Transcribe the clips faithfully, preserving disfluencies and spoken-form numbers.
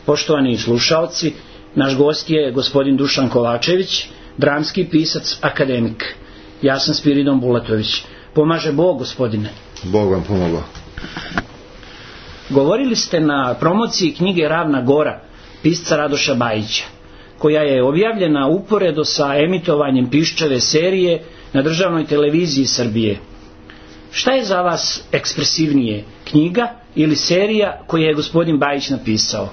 Poštovani slušalci, naš gost je gospodin Dušan Kovačević, dramski pisac, akademik. Ja sam Spiridon Bulatović. Pomaže Bog, gospodine. Bog vam pomogao. Govorili ste na promociji knjige Ravna Gora, pisca Radoša Bajića, koja je objavljena uporedo sa emitovanjem Piščeve serije na državnoj televiziji Srbije. Šta je za vas ekspresivnije, knjiga ili serija koju je gospodin Bajić napisao?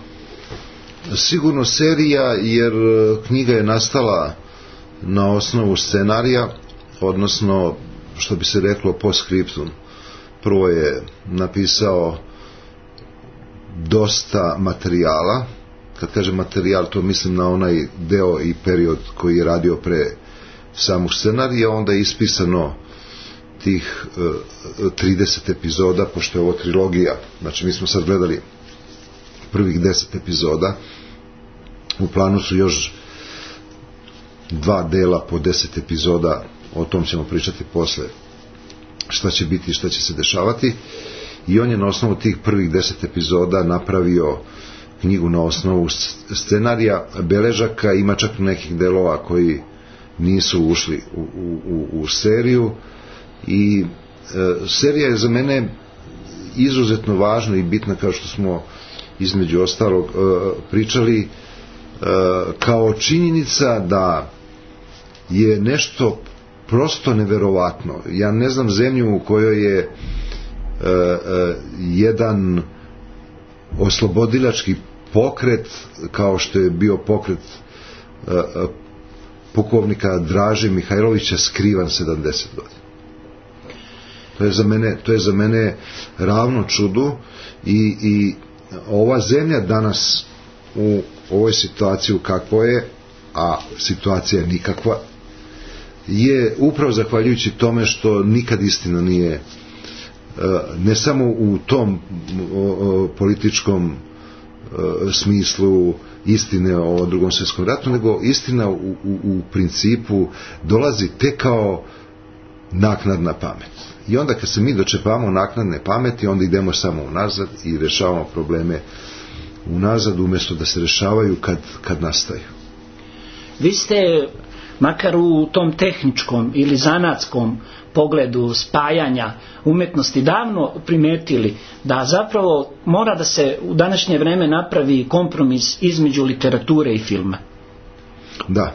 Sigurno serija, jer knjiga je nastala na osnovu scenarija, odnosno, što bi se reklo, post scriptum. Prvo je napisao dosta materijala. Kad kažem materijal, to mislim na onaj deo i period koji je radio pre samog scenarija. Onda je ispisano tih uh, trideset epizoda, pošto je ovo trilogija. Znači, mi smo sad gledali prvih deset epizoda. U planu su još dva dela po deset epizoda, o tom ćemo pričati posle, šta će biti i šta će se dešavati. I on je na osnovu tih prvih deset epizoda napravio knjigu na osnovu scenarija, beležaka, ima čak nekih delova koji nisu ušli u, u, u seriju. I e, serija je za mene izuzetno važna i bitna, kao što smo između ostalog e, pričali, e, kao činjenica da je nešto prosto neverovatno. Ja ne znam zemlju u kojoj je e, e, jedan oslobodilački pokret, kao što je bio pokret e, e, pukovnika Draže Mihajlovića, skrivan sedamdeset godina. To je za mene, to je za mene ravno čudu. I, i ova zemlja danas u ovoj situaciji kakvo je, a situacija je nikakva, je upravo zahvaljujući tome što nikad istina nije, ne samo u tom političkom smislu istine o Drugom svjetskom ratu, nego istina u, u, u principu dolazi tek kao naknadna pamet. I onda kad se mi dočepamo naknadne pameti, onda idemo samo unazad i rešavamo probleme unazad, umjesto da se rešavaju kad, kad nastaju. Vi ste, makar u tom tehničkom ili zanatskom pogledu spajanja umetnosti, davno primetili da zapravo mora da se u današnje vreme napravi kompromis između literature i filma. Da. E,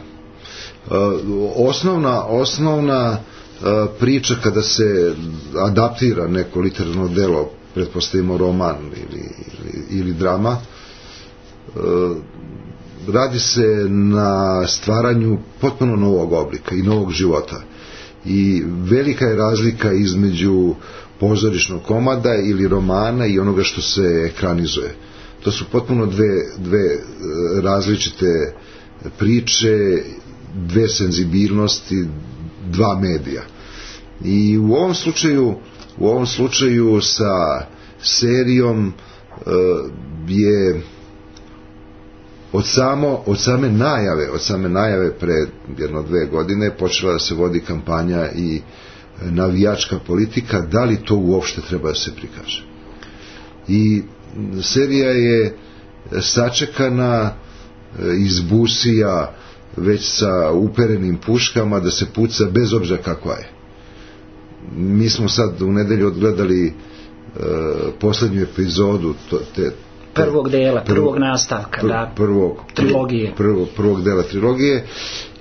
osnovna, osnovna e, priča kada se adaptira neko literarno delo, pretpostavimo roman ili, ili, ili drama, e, radi se na stvaranju potpuno novog oblika i novog života. I velika je razlika između pozorišnog komada ili romana i onoga što se ekranizuje. To su potpuno dve, dve različite priče, dve senzibilnosti, dva medija. I u ovom slučaju, u ovom slučaju sa serijom uh, je od samo od same najave, od same najave pre jedno dve godine počela da se vodi kampanja i navijačka politika, da li to uopšte treba da se prikaže. I serija je sačekana iz busija već sa uperenim puškama da se puca bez obzira kakva je. Mi smo sad u nedelju odgledali uh, poslednju epizodu to, te prvog dela, prvog, prvog nastavka, pr, da, prvog, trilogije. Prvog, prvog dela trilogije,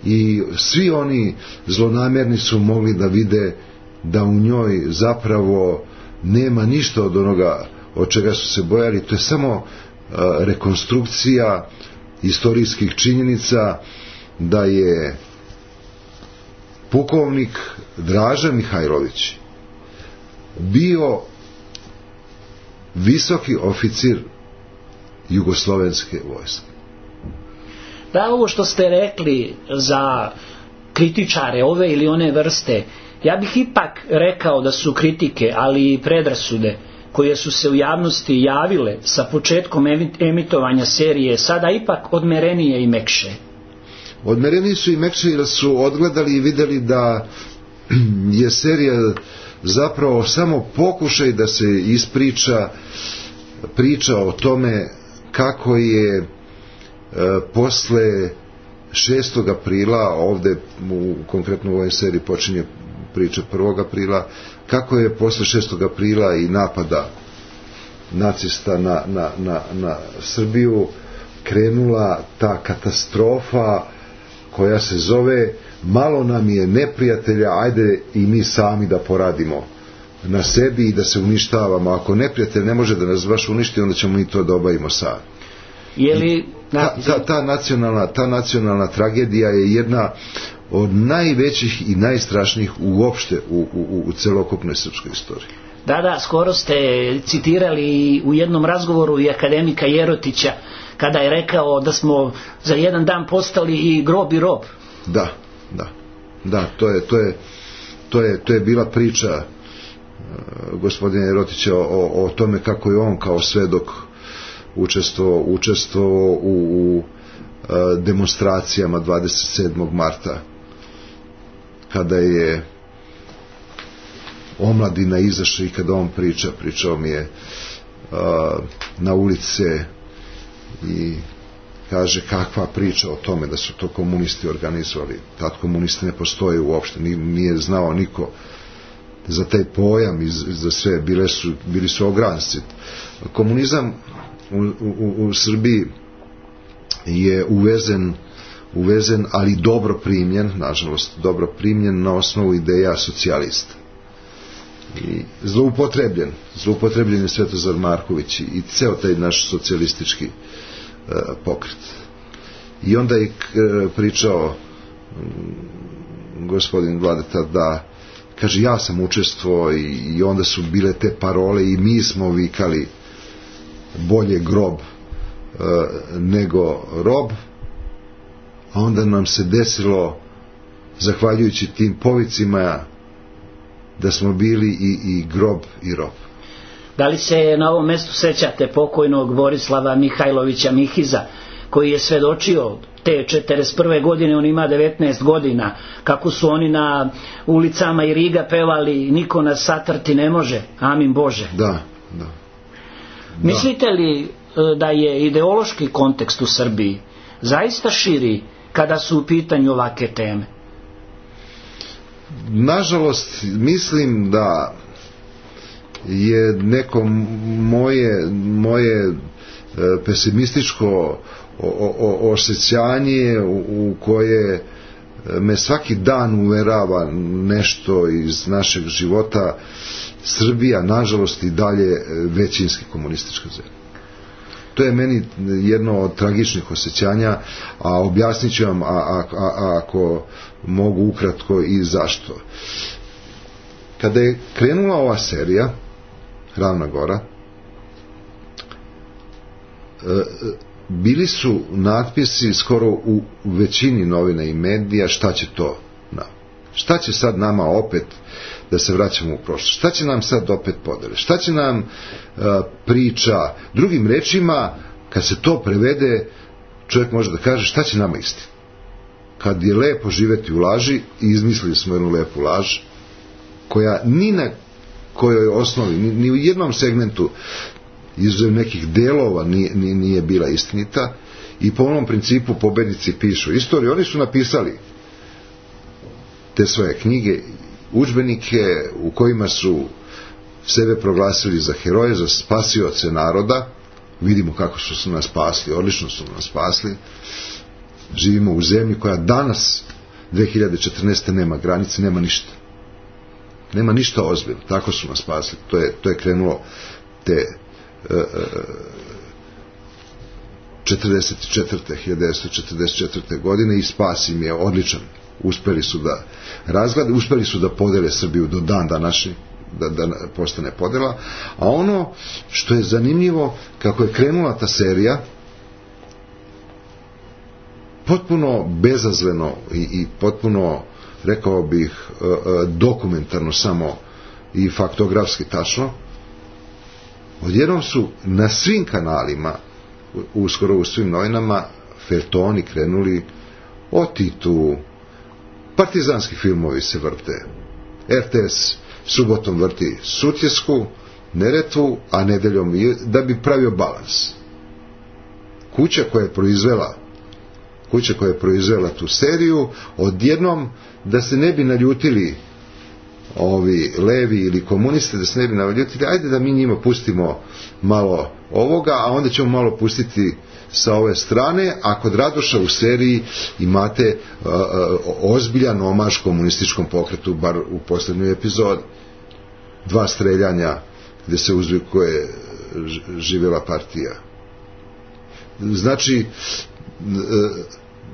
i svi oni zlonamerni su mogli da vide da u njoj zapravo nema ništa od onoga od čega su se bojali. To je samo uh, rekonstrukcija istorijskih činjenica da je pukovnik Draža Mihajlović bio visoki oficir jugoslovenske vojske. Da, ovo što ste rekli za kritičare ove ili one vrste, ja bih ipak rekao da su kritike, ali i predrasude koje su se u javnosti javile sa početkom emitovanja serije sada ipak odmerenije i mekše. Odmereniji su i mekše jer su odgledali i videli da je serija zapravo samo pokušaj da se ispriča priča o tome kako je e, posle šestog aprila, ovde u, konkretno u ovoj seriji počinje priča prvog aprila, kako je posle šestog aprila i napada nacista na, na, na, na Srbiju krenula ta katastrofa koja se zove malo nam je neprijatelja, ajde i mi sami da poradimo na sebi i da se uništavamo. Ako neprijatelj ne može da nas baš uništi, onda ćemo mi to da obavimo sami. Je li... Ta, ta, ta, nacionalna, ta nacionalna tragedija je jedna od najvećih i najstrašnijih uopšte u, u, u celokupnoj srpskoj istoriji. Da, da, skoro ste citirali u jednom razgovoru i akademika Jerotića kada je rekao da smo za jedan dan postali i grob i rob. Da, da, da, to je, to je, to je, to je bila priča uh, gospodina Jerotića o, o tome kako je on kao svedok učestvovao učestvovao u, u uh, demonstracijama dvadeset sedmog marta kada je omladina izašla i kada on priča, pričao mi je uh, na ulice i kaže kakva priča o tome da su to komunisti organizovali. Tad komunisti ne postoje uopšte, nije znao niko za taj pojam i za sve, bile su, bili su ogranci. Komunizam u, u, u Srbiji je uvezen uvezen, ali dobro primljen, nažalost dobro primljen na osnovu ideja socijalista. I zloupotrebljen, zloupotrebljen je Svetozar Marković i ceo taj naš socijalistički uh, pokret. I onda je uh, pričao um, gospodin Vladeta da, kaže, ja sam učestvovao i, i onda su bile te parole i mi smo vikali bolje grob uh, nego rob, a onda nam se desilo, zahvaljujući tim povicima, da smo bili i, i grob i rob. Da li se na ovom mestu sećate pokojnog Borislava Mihajlovića Mihiza, koji je svedočio te četrdeset prve godine, on ima devetnaest godina, kako su oni na ulicama i Riga pevali niko nas satrti ne može, amin Bože. Da, da. Mislite li da je ideološki kontekst u Srbiji zaista širi kada su u pitanju ovake teme? Nažalost, mislim da je neko moje, moje pesimističko osjećanje u, u koje me svaki dan uverava nešto iz našeg života. Srbija, nažalost, i dalje većinski komunistička zemlja. To je meni jedno od tragičnih osjećanja, a objasnit ću vam a, a, a, ako mogu ukratko i zašto. Kada je krenula ova serija Ravna Gora, bili su natpisi skoro u većini novina i medija šta će to nam. Šta će sad nama opet da se vraćamo u prošlost? Šta će nam sad opet podele? Šta će nam uh, priča? Drugim rečima, kad se to prevede, čovjek može da kaže šta će nama istina? Kad je lepo živeti u laži, i izmislili smo jednu lepu laž, koja ni na kojoj osnovi, ni, ni u jednom segmentu izuzev nekih delova nije, nije bila istinita, i po onom principu pobednici pišu istoriju. Oni su napisali te svoje knjige, udžbenike u kojima su sebe proglasili za heroje, za spasioce naroda. Vidimo kako su nas spasli, odlično su nas spasli. Živimo u zemlji koja danas dve hiljade četrnaeste. nema granice, nema ništa. Nema ništa ozbiljno, tako su nas spasli. To je, to je krenulo te uh, četrdeset četvrte. hiljadu devetsto četrdeset četvrte. godine i spas im je odličan. Uspeli su da razglade, uspeli su da podele Srbiju do dan današnji, da, da postane podela. A ono što je zanimljivo, kako je krenula ta serija, potpuno bezazleno i, i potpuno, rekao bih, dokumentarno samo i faktografski tačno, odjednom su na svim kanalima, uskoro u svim novinama, feljtoni krenuli o Titu, partizanski filmovi se vrte, er te es subotom vrti Sutjesku, Neretvu, a nedeljom, da bi pravio balans. kuća koja je proizvela kuća koja je proizvela tu seriju, odjednom da se ne bi naljutili ovi levi ili komuniste, da se ne bi naljutili, ajde da mi njima pustimo malo ovoga, a onda ćemo malo pustiti sa ove strane, a kod Radoša u seriji imate uh, uh, ozbiljan omaž komunističkom pokretu, bar u posljednjoj epizodi. Dva streljanja gdje se uzvikuje živjela partija. Znači, uh,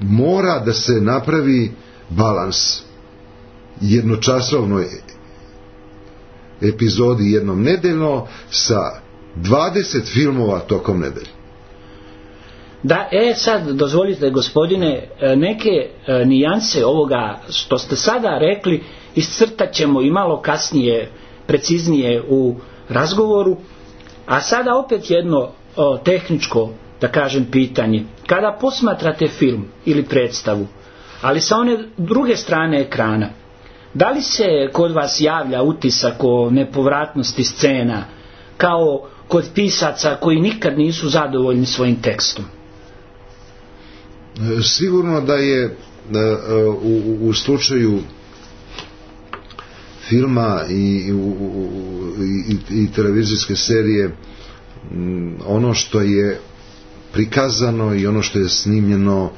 mora da se napravi balans jednočasovnoj epizodi jednom nedeljno sa dvadeset filmova tokom nedelje. Da, e sad dozvolite gospodine, neke e, nijanse ovoga što ste sada rekli iscrtat ćemo i malo kasnije preciznije u razgovoru, a sada opet jedno o, tehničko, da kažem, pitanje. Kada posmatrate film ili predstavu, ali sa one druge strane ekrana, da li se kod vas javlja utisak o nepovratnosti scena, kao kod pisaca koji nikad nisu zadovoljni svojim tekstom? Sigurno da je u, u slučaju filma i, u, i, i televizijske serije ono što je prikazano i ono što je snimljeno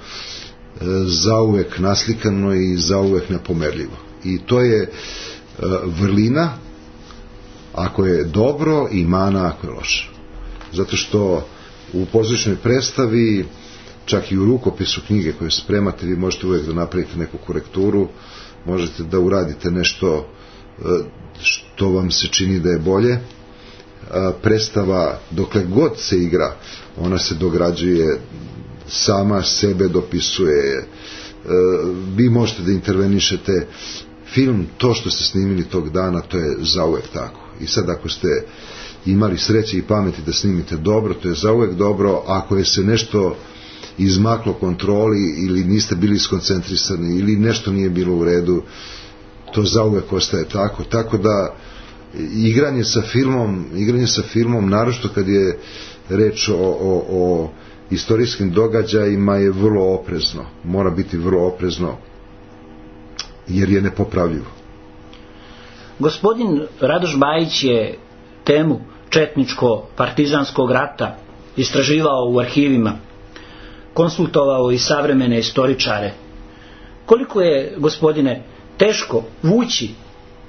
zauvek naslikano i zauvek nepomerljivo. I to je vrlina ako je dobro i mana ako je loše. Zato što u pozorišnoj predstavi, čak i u rukopisu knjige koju spremate, vi možete uvijek da napravite neku korekturu, možete da uradite nešto što vam se čini da je bolje. Predstava, dokle god se igra, ona se dograđuje, sama sebe dopisuje, vi možete da intervenišete. Film, to što ste snimili tog dana, to je zauvek tako. I sad ako ste imali sreće i pameti da snimite dobro, to je zauvek dobro. Ako je se nešto izmaklo kontroli ili niste bili skoncentrisani ili nešto nije bilo u redu, to zauvek ostaje tako. Tako da igranje sa filmom, igranje sa filmom, naročito kad je reč o, o, o istorijskim događajima, je vrlo oprezno. Mora biti vrlo oprezno, jer je nepopravljivo. Gospodin Radoš Bajić je temu četničko-partizanskog rata istraživao u arhivima, konsultovao i savremene istoričare. Koliko je, gospodine, teško vući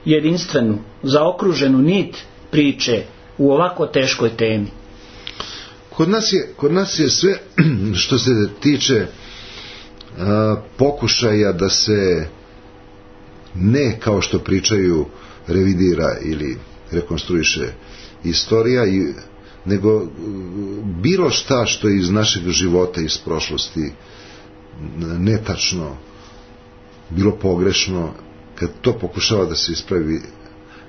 jedinstvenu, zaokruženu nit priče u ovako teškoj temi? Kod nas je, kod nas je sve što se tiče a, pokušaja da se ne, kao što pričaju, revidira ili rekonstruiše istorija, i, nego bilo šta što je iz našeg života, iz prošlosti netačno, bilo pogrešno, kad to pokušava da se ispravi,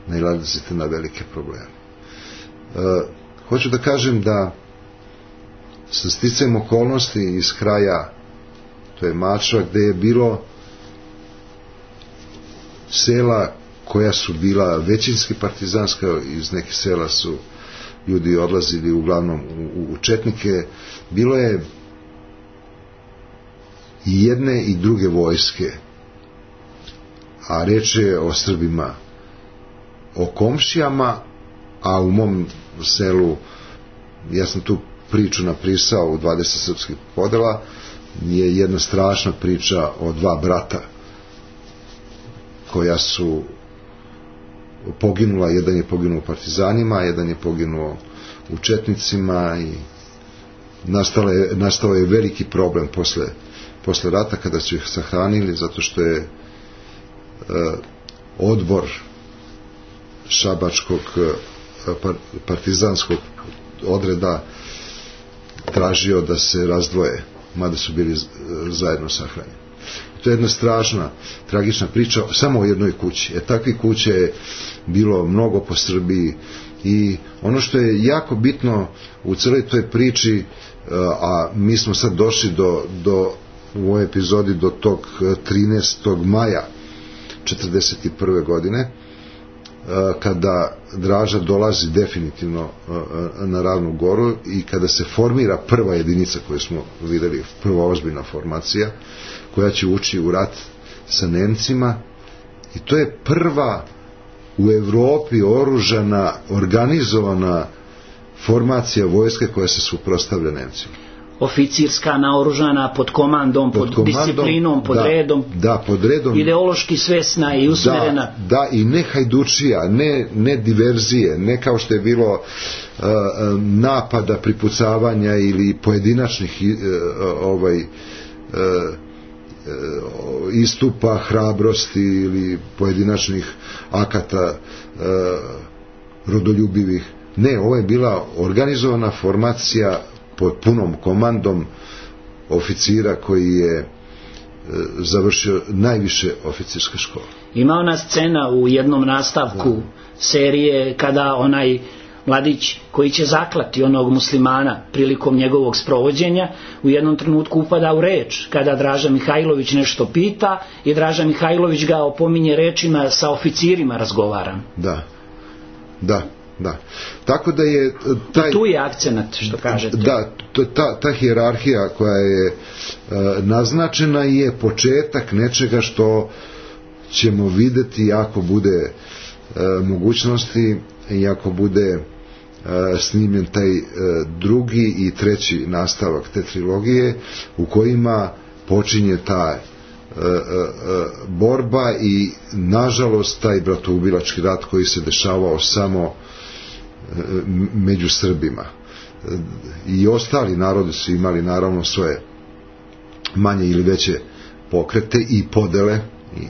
nailazite na velike probleme. E, hoću da kažem da sa sticajem okolnosti iz kraja, to je Mačva, gde je bilo sela koja su bila većinski partizanska, iz nekih sela su ljudi odlazili uglavnom u, u četnike, bilo je i jedne i druge vojske, a reč je o Srbima, o komšijama, a u mom selu, ja sam tu priču napisao u dvadeset srpskih podela, je jedna strašna priča o dva brata koja su poginula, jedan je poginuo u partizanima, jedan je poginuo u četnicima, i nastao je, nastao je veliki problem posle, posle rata kada su ih sahranili, zato što je e, odbor šabačkog e, partizanskog odreda tražio da se razdvoje, mada su bili zajedno sahranjeni. To je jedna strašna, tragična priča samo o jednoj kući. E, takvih kuća je bilo mnogo po Srbiji, i ono što je jako bitno u celoj toj priči, a mi smo sad došli do, do u ovoj epizodi do tog trinaestog maja četrdeset prve godine, kada Draža dolazi definitivno na Ravnu Goru i kada se formira prva jedinica koju smo videli, prva ozbiljna formacija koja će ući u rat sa Nemcima, i to je prva u Evropi oružana, organizovana formacija vojske koja se suprotstavlja Nemcima. Oficirska, naoružana, pod komandom, pod, pod komandom, disciplinom, pod da, redom, da, pod redom, ideološki svesna i usmerena. Da, da, i ne hajdučija, ne, ne diverzije, ne kao što je bilo uh, napada, pripucavanja ili pojedinačnih uh, ovaj, uh, uh, istupa hrabrosti ili pojedinačnih akata uh, rodoljubivih. Ne, ovo je bila organizovana formacija pod punom komandom oficira koji je e, završio najviše oficirske škole. Ima ona scena u jednom nastavku da. serije kada onaj mladić koji će zaklati onog muslimana prilikom njegovog sprovođenja u jednom trenutku upada u reč kada Draža Mihajlović nešto pita i Draža Mihajlović ga opominje rečima sa oficirima razgovara. Da, da. Da. Tako da je taj, i tu je akcenat, što kažete. Da, ta, ta hijerarhija koja je e, naznačena je početak nečega što ćemo videti ako bude e, mogućnosti i ako bude e, snimljen taj e, drugi i treći nastavak te trilogije u kojima počinje ta borba i nažalost taj bratoubilački rat koji se dešavao samo među Srbima. I ostali narodi su imali naravno svoje manje ili veće pokrete i podele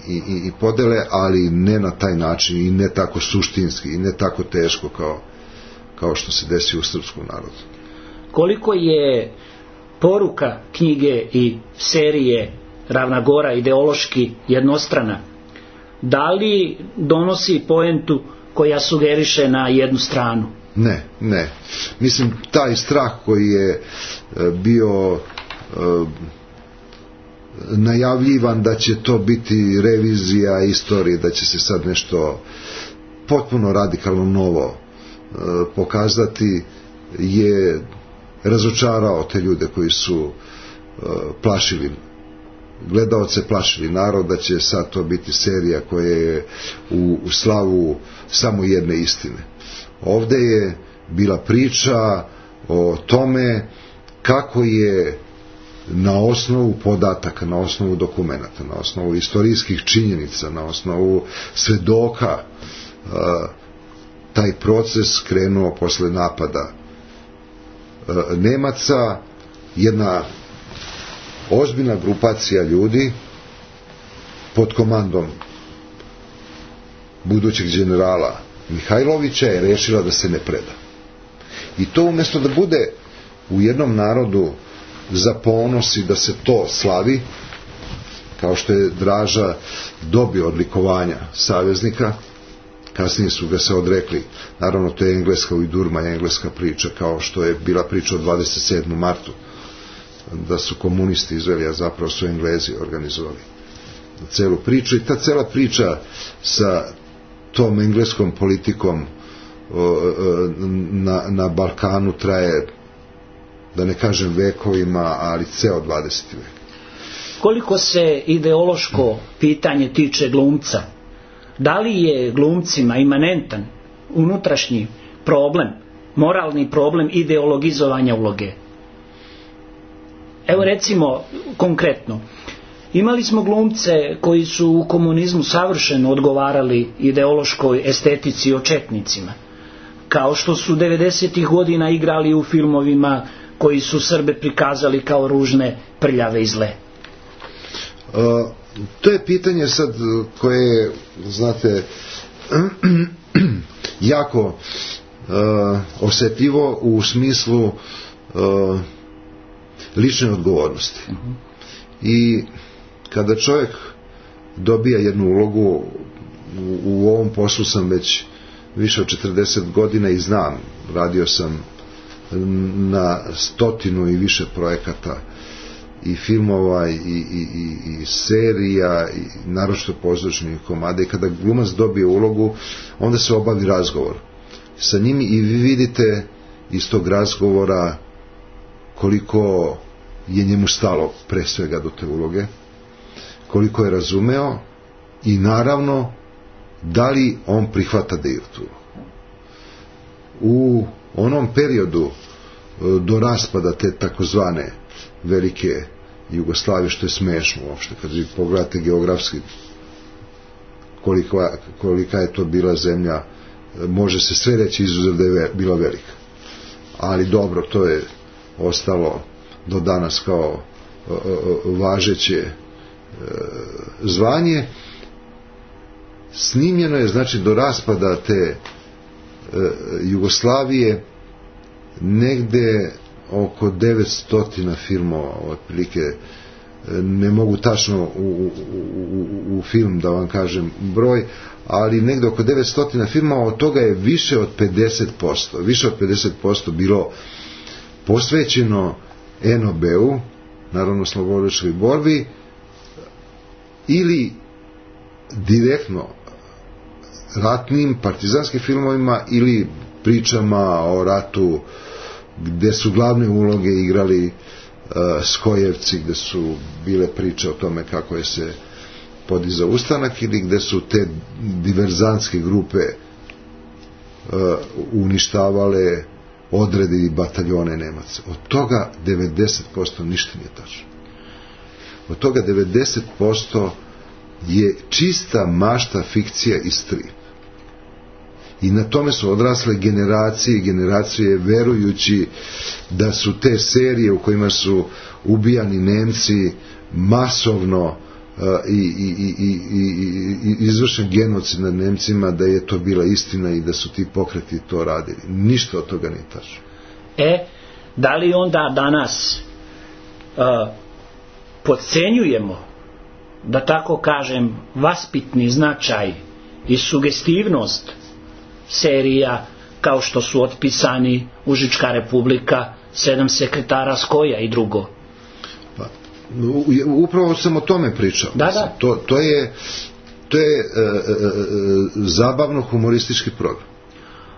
i, i, i podele, ali ne na taj način i ne tako suštinski i ne tako teško kao, kao što se desi u srpskom narodu. Koliko je poruka knjige i serije Ravna Gora ideološki jednostrana, da li donosi poentu koja sugeriše na jednu stranu? Ne, ne. Mislim, taj strah koji je bio e, najavljivan da će to biti revizija istorije, da će se sad nešto potpuno radikalno novo e, pokazati, je razočarao te ljude koji su e, plašili gledaoce, plašili narod da će sad to biti serija koja je u, u slavu samo jedne istine. Ovde je bila priča o tome kako je na osnovu podataka, na osnovu dokumenata, na osnovu istorijskih činjenica, na osnovu svedoka taj proces krenuo posle napada Nemaca. Jedna ozbiljna grupacija ljudi pod komandom budućeg generala Mihajlovića je rešila da se ne preda. I to umjesto da bude u jednom narodu za ponos i da se to slavi, kao što je Draža dobio odlikovanja saveznika, kasnije su ga se odrekli. Naravno, to je engleska ujdurma, engleska priča, kao što je bila priča o dvadeset sedmom martu, da su komunisti izveli, a zapravo su Englezi organizovali celu priču. I ta cela priča sa tom engleskom politikom na, na Balkanu traje, da ne kažem vekovima, ali ceo dvadeseti vek. Koliko se ideološko pitanje tiče glumca, da li je glumcima imanentan unutrašnji problem, moralni problem ideologizovanja uloge? Evo recimo konkretno, imali smo glumce koji su u komunizmu savršeno odgovarali ideološkoj estetici o četnicima, kao što su devedesetih godina igrali u filmovima koji su Srbe prikazali kao ružne, prljave i zle. Uh, to je pitanje sad koje je, znate, jako uh, osjetljivo u smislu uh, lične odgovornosti. Uh-huh. I kada čovjek dobija jednu ulogu, u, u ovom poslu sam već više od četrdeset godina i znam, radio sam na stotinu i više projekata i filmova i, i, i, i serija i naročito pozorišnih komada, i kada glumac dobije ulogu onda se obavi razgovor sa njim i vi vidite iz tog razgovora koliko je njemu stalo pre svega do te uloge, koliko je razumeo i naravno da li on prihvata da igra tu. U onom periodu do raspada te takozvane velike Jugoslavije, što je smešno uopšte kad vi pogledate geografski kolika, kolika je to bila zemlja, može se sve reći izuzev da je bila velika, ali dobro, to je ostalo do danas kao važeće zvanje. Snimljeno je, znači, do raspada te Jugoslavije negde oko devetsto filmova, otprilike, ne mogu tačno u, u, u, u film da vam kažem broj, ali negde oko devetsto filmova, od toga je više od pedeset posto, više od pedeset posto bilo posvećeno en o be-u, naravno slobodilačkoj borbi, ili direktno ratnim partizanskim filmovima ili pričama o ratu gde su glavne uloge igrali uh, skojevci, gde su bile priče o tome kako je se podizao ustanak, ili gde su te diverzantske grupe uh, uništavale odrede i bataljone Nemaca. Od toga devedeset posto ništa nije tačno. Od toga devedeset posto je čista mašta, fikcija i strip. I na tome su odrasle generacije i generacije, verujući da su te serije u kojima su ubijani Nemci masovno uh, i, i, i, i, i izvršen genocid nad Nemcima, da je to bila istina i da su ti pokreti to radili. Ništa od toga nije tačno. E, da li onda danas uh, podcenjujemo, da tako kažem, vaspitni značaj i sugestivnost serija kao što su Otpisani, Užička republika, Sedam sekretara Skoja i drugo? Pa, upravo sam o tome pričao. Da, da. To, to je, to je e, e, zabavno humoristički program.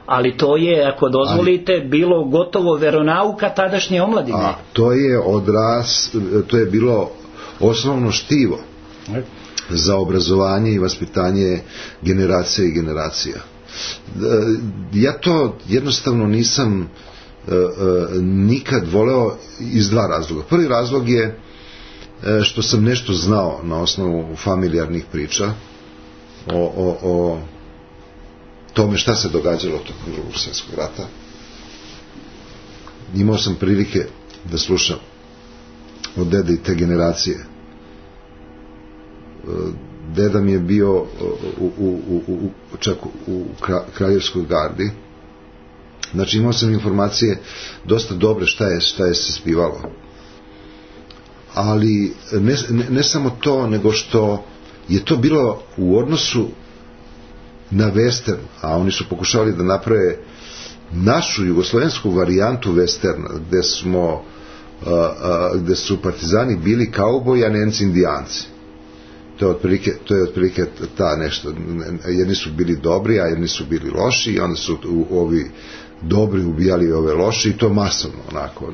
Ali to je, ako dozvolite, ali, bilo gotovo veronauka tadašnje omladine. A to je odraz, to je bilo osnovno štivo za obrazovanje i vaspitanje generacija i generacija. Ja to jednostavno nisam uh, uh, nikad voleo iz dva razloga. Prvi razlog je uh, što sam nešto znao na osnovu familijarnih priča o, o, o tome šta se događalo tokom Drugog svjetskog rata. Imao sam prilike da slušam od dede i te generacije. Uh, Deda mi je bio u, u, u, u, čak u Kraljevskoj gardi. Znači imao sam informacije dosta dobre šta je, šta je se spivalo. Ali ne, ne, ne samo to, nego što je to bilo u odnosu na western, a oni su pokušali da naprave našu jugoslovensku varijantu westerna, gde smo a, a, gde su partizani bili kauboji, a Nemci indijanci. To je otprilike, to je otprilike ta nešto, jedni su bili dobri, a jedni su bili loši, i onda su ovi dobri ubijali ove loši, i to masovno, onako.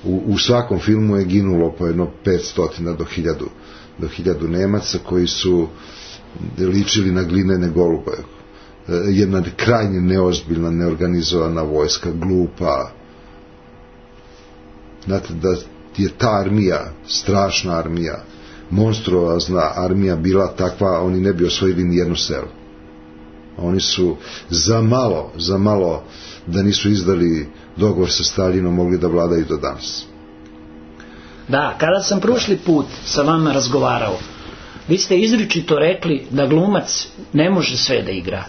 U, u svakom filmu je ginulo po jedno petsto do hiljadu, do hiljadu Nemaca koji su ličili na glinene golube. Jedna krajnje neozbiljna, neorganizovana vojska, glupa. Znate da je ta armija, strašna armija, monstruozna armija bila takva, oni ne bi osvojili ni jedno selo. Oni su za malo, za malo da nisu izdali dogovor sa Staljinom, mogli da vladaju do danas. Da, kada sam prošli put sa vama razgovarao, vi ste izričito rekli da glumac ne može sve da igra.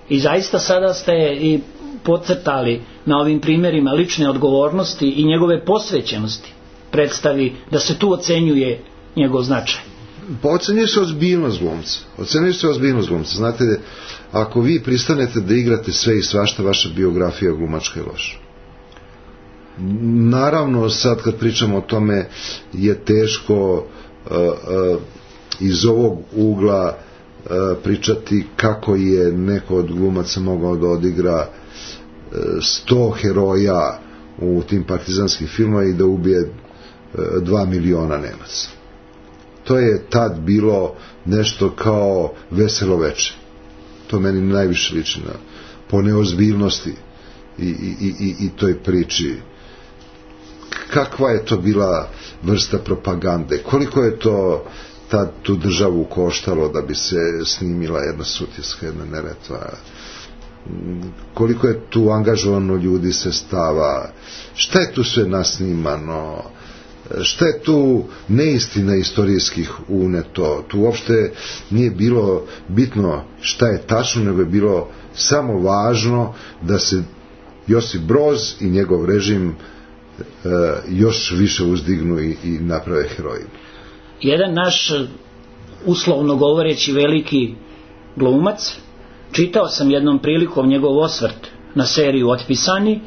I zaista sada ste i podcrtali na ovim primjerima lične odgovornosti i njegove posvećenosti predstavi, da se tu ocenjuje njegov značaj. Pa ocenjuje se ozbiljnost glumca. Ocenjuje se ozbiljnost glumca. Znate, ako vi pristanete da igrate sve i svašta, vaša biografija glumačka je loša. naravno sad kad pričamo o tome je teško uh, uh, iz ovog ugla uh, pričati kako je neko od glumaca mogao da odigra uh, sto heroja u tim partizanskim filmama i da ubije uh, dva miliona Nemaca. To je tad bilo nešto kao Veselo veče. To meni najviše liči na, po neozbiljnosti i, i, i, i toj priči. Kakva je to bila vrsta propagande? Koliko je to tad tu državu koštalo da bi se snimila jedna Sutjeska, jedna Neretva? Koliko je tu angažovano ljudi, sestava? Šta je tu sve nasnimano? Šta je tu neistina istorijskih uneto? Tu uopšte nije bilo bitno šta je tačno, nego je bilo samo važno da se Josip Broz i njegov režim e, još više uzdignu i, i naprave herojima. Jedan naš, uslovno govoreći, veliki glumac, čitao sam jednom prilikom njegov osvrt na seriju Otpisani,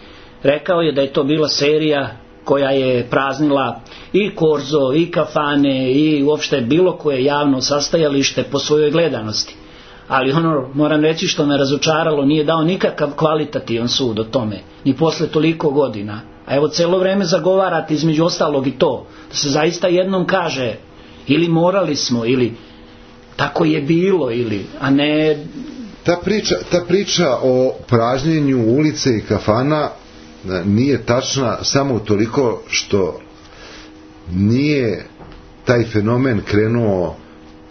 rekao je da je to bila serija koja je praznila i Korzo, i kafane, i uopšte bilo koje javno sastajalište po svojoj gledanosti. Ali ono, moram reći, što me razočaralo, nije dao nikakav kvalitativan sud o tome, ni posle toliko godina. A evo, celo vreme zagovarate između ostalog i to, da se zaista jednom kaže, ili morali smo, ili tako je bilo, ili, a ne... Ta priča, ta priča o pražnjenju ulice i kafana nije tačna samo utoliko što nije taj fenomen krenuo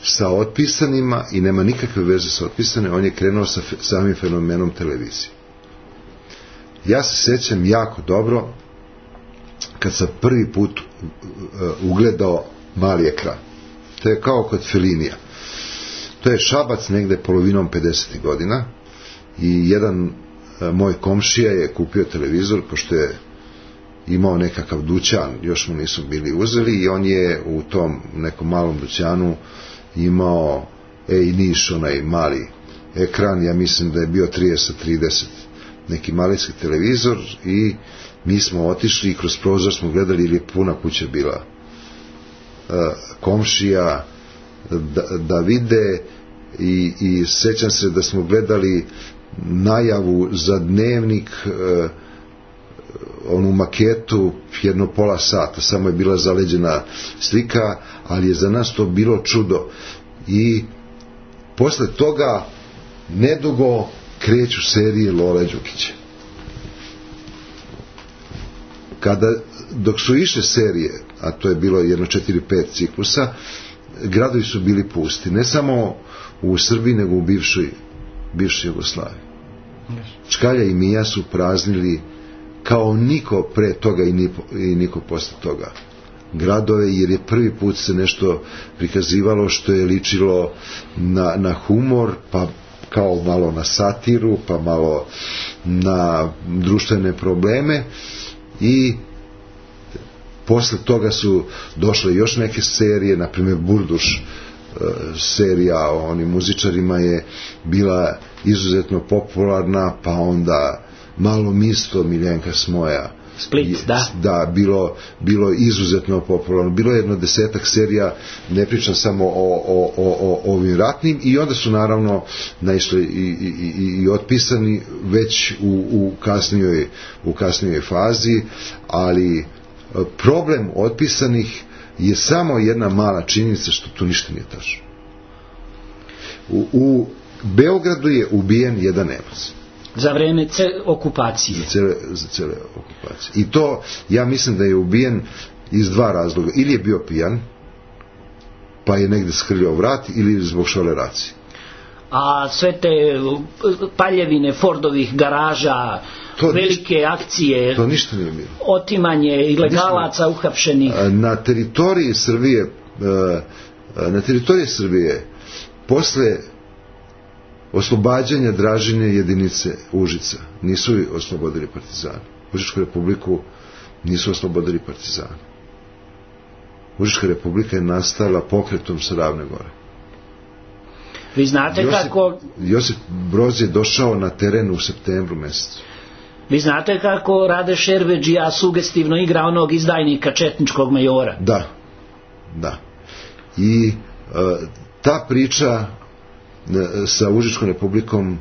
sa Otpisanima i nema nikakve veze sa Otpisanim, on je krenuo sa fe, samim fenomenom televizije. Ja se sećam jako dobro kad sam prvi put ugledao mali ekran. To je kao kod Felinija. To je Šabac negde polovinom pedesetih godina i jedan moj komšija je kupio televizor, pošto je imao nekakav dućan, još mu nisu bili uzeli, i on je u tom nekom malom dućanu imao Ej Niš, onaj mali ekran, ja mislim da je bio trideset trideset, neki malijski televizor, i mi smo otišli i kroz prozor smo gledali, ili je puna kuća bila uh, komšija da, da vide, i, i sećam se da smo gledali najavu za Dnevnik, uh, onu maketu jedno pola sata, samo je bila zaleđena slika, ali je za nas to bilo čudo. I posle toga nedugo kreću serije Lole Đukića. Kada, dok su išle serije, a to je bilo jedno četiri pet ciklusa, gradovi su bili pusti, ne samo u Srbiji, nego u bivšoj, bivšoj Jugoslaviji. Čkalja i Mija su praznili kao niko pre toga i, ni, i niko posle toga gradove, jer je prvi put se nešto prikazivalo što je ličilo na, na humor, pa kao malo na satiru, pa malo na društvene probleme, i posle toga su došle još neke serije, na primjer Burduš, serija o onim muzičarima je bila izuzetno popularna, pa onda Malo misto Miljenka Smoja, Split, da. Da, bilo, bilo izuzetno popularno. Bilo je jedno desetak serija, ne pričam samo o, o, o, o ovim ratnim, i onda su naravno naišli i, i, i, i Otpisani već u, u, kasnijoj, u kasnijoj fazi, ali problem Otpisanih je samo jedna mala činjenica, što tu ništa nije tačno. U, u Beogradu je ubijen jedan Nemac. Za vreme ce, okupacije. Za cele, za cele okupacije. I to, ja mislim da je ubijen iz dva razloga. Ili je bio pijan, pa je negde skrljao vrat, ili zbog šoleracije. A sve te paljevine Fordovih garaža, to velike ništa, akcije, to ništa nije bilo. Otimanje ilegalaca uhapšenih. Na teritoriji Srbije, na teritoriji Srbije, posle oslobađanja Dražine jedinice Užica, nisu oslobodili partizani. Užičku republiku nisu oslobodili partizani. Užička republika je nastala pokretom sa Ravne gore. Vi znate Josip, kako... Josip Broz je došao na teren u septembru mesecu. Vi znate kako Rade Šerbedžija sugestivno igra onog izdajnika četničkog majora? Da, da. I e, ta priča e, sa Užičkom republikom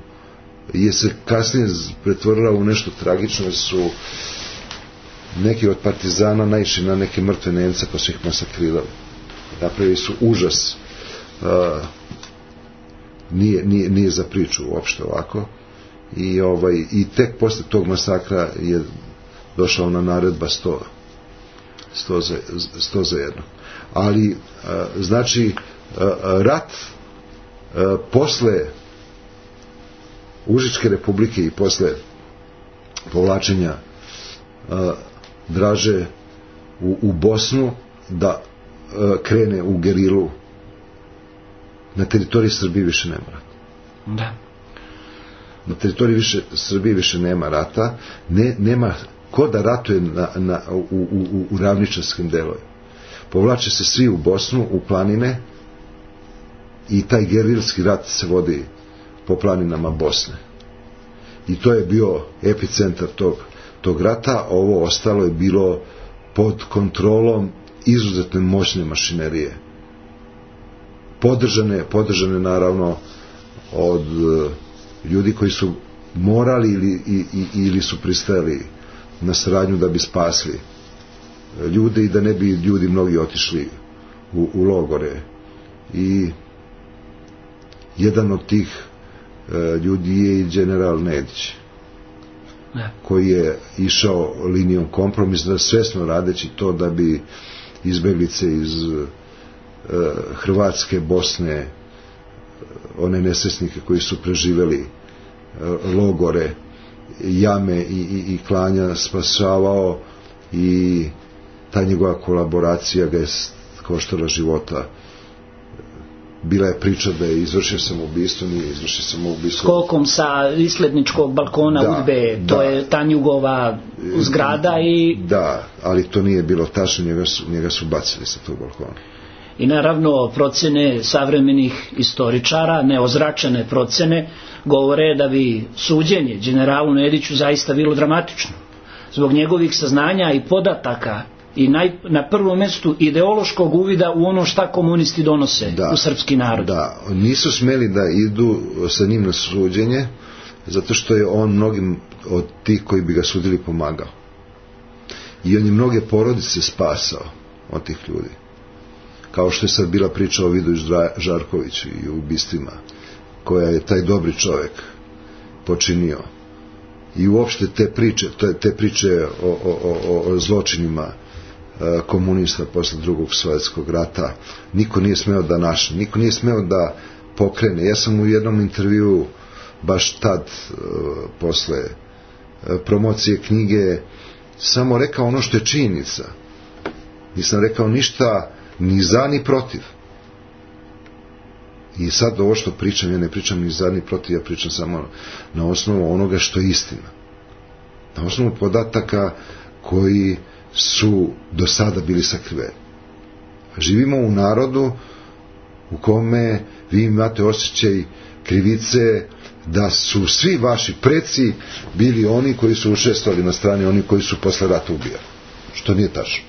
je se kasnije pretvorila u nešto tragično, su neki od partizana naišli na neke mrtve Nemce pa su ih masakrirali. Napravili su užas. E, nije, nije, nije za priču uopšte ovako. I, ovaj, i tek posle tog masakra je došla ona naredba sto za jedno. Ali, a, znači, a, rat a, posle Užičke republike i posle povlačenja a, Draže u, u Bosnu da a, krene u gerilu na teritoriji Srbije više nema rata. Da. Na teritoriji više, Srbije više nema rata, ne, nema ko da ratuje na, na, u, u, u ravničarskim delovima. Povlače se svi u Bosnu, u planine i taj gerilski rat se vodi po planinama Bosne. I to je bio epicentar tog, tog rata, ovo ostalo je bilo pod kontrolom izuzetno moćne mašinerije. Podržane, podržane naravno od ljudi koji su morali ili, i, i, ili su pristajali na saradnju da bi spasli ljude i da ne bi ljudi mnogi otišli u, u logore. I jedan od tih e, ljudi je i general Nedić, ne. koji je išao linijom kompromisa, svesno radeći to da bi izbeglice iz e, Hrvatske, Bosne, one nesvesnike koji su preživeli logore, jame i, i, i klanja spasavao, i ta njegova kolaboracija ga je koštala života. Bila je priča da je izvršio samoubistvo, nije izvršio samoubistvo. Skokom sa isledničkog balkona da, udbe, to da. je Tanjugova zgrada i... Da, ali to nije bilo tačno, njega su, njega su bacili sa tog balkona. I naravno procene savremenih istoričara, neozračene procene, govore da bi suđenje generalu Nediću zaista bilo dramatično. Zbog njegovih saznanja i podataka i naj, na prvom mjestu ideološkog uvida u ono šta komunisti donose da, u srpski narod. Da, nisu smeli da idu sa njim na suđenje, zato što je on mnogim od tih koji bi ga sudili pomagao. I on je mnoge porodice spasao od tih ljudi. Kao što je sad bila priča o Vidu Žarkoviću i ubistvima koja je taj dobri čovjek počinio. I uopšte te priče, te priče o, o, o, o zločinima komunista posle drugog svjetskog rata, niko nije smeo da naše, niko nije smeo da pokrene. Ja sam u jednom intervju baš tad, posle promocije knjige, samo rekao ono što je činjenica. Nisam rekao ništa ni za ni protiv. I sad ovo što pričam, ja ne pričam ni za ni protiv, ja pričam samo na osnovu onoga što je istina. Na osnovu podataka koji su do sada bili sakriveni. Živimo u narodu u kome vi imate osjećaj krivice da su svi vaši preci bili oni koji su učestvovali na strani oni koji su posle rata ubijali. Što nije tačno.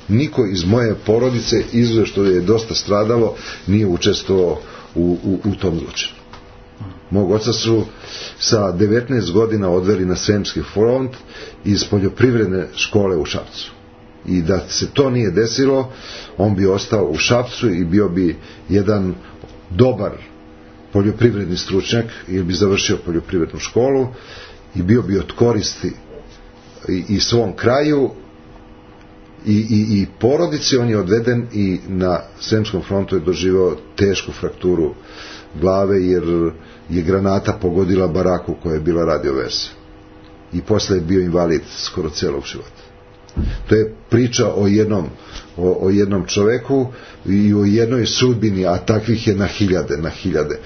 Niko iz moje porodice, izuzev što je dosta stradalo, nije učestvovao u, u, u tom zločinu. Mog oca su sa devetnaest godina odveli na Sremski front iz poljoprivredne škole u Šapcu. I da se to nije desilo, on bi ostao u Šapcu i bio bi jedan dobar poljoprivredni stručnjak, ili bi završio poljoprivrednu školu i bio bi od koristi i, i svom kraju i, i, i porodici. On je odveden i na Sremskom frontu je doživao tešku frakturu glave jer je granata pogodila baraku koja je bila radioveza. I posle je bio invalid skoro celog života. To je priča o jednom, o, o jednom čoveku i o jednoj sudbini, a takvih je na hiljade, na hiljade.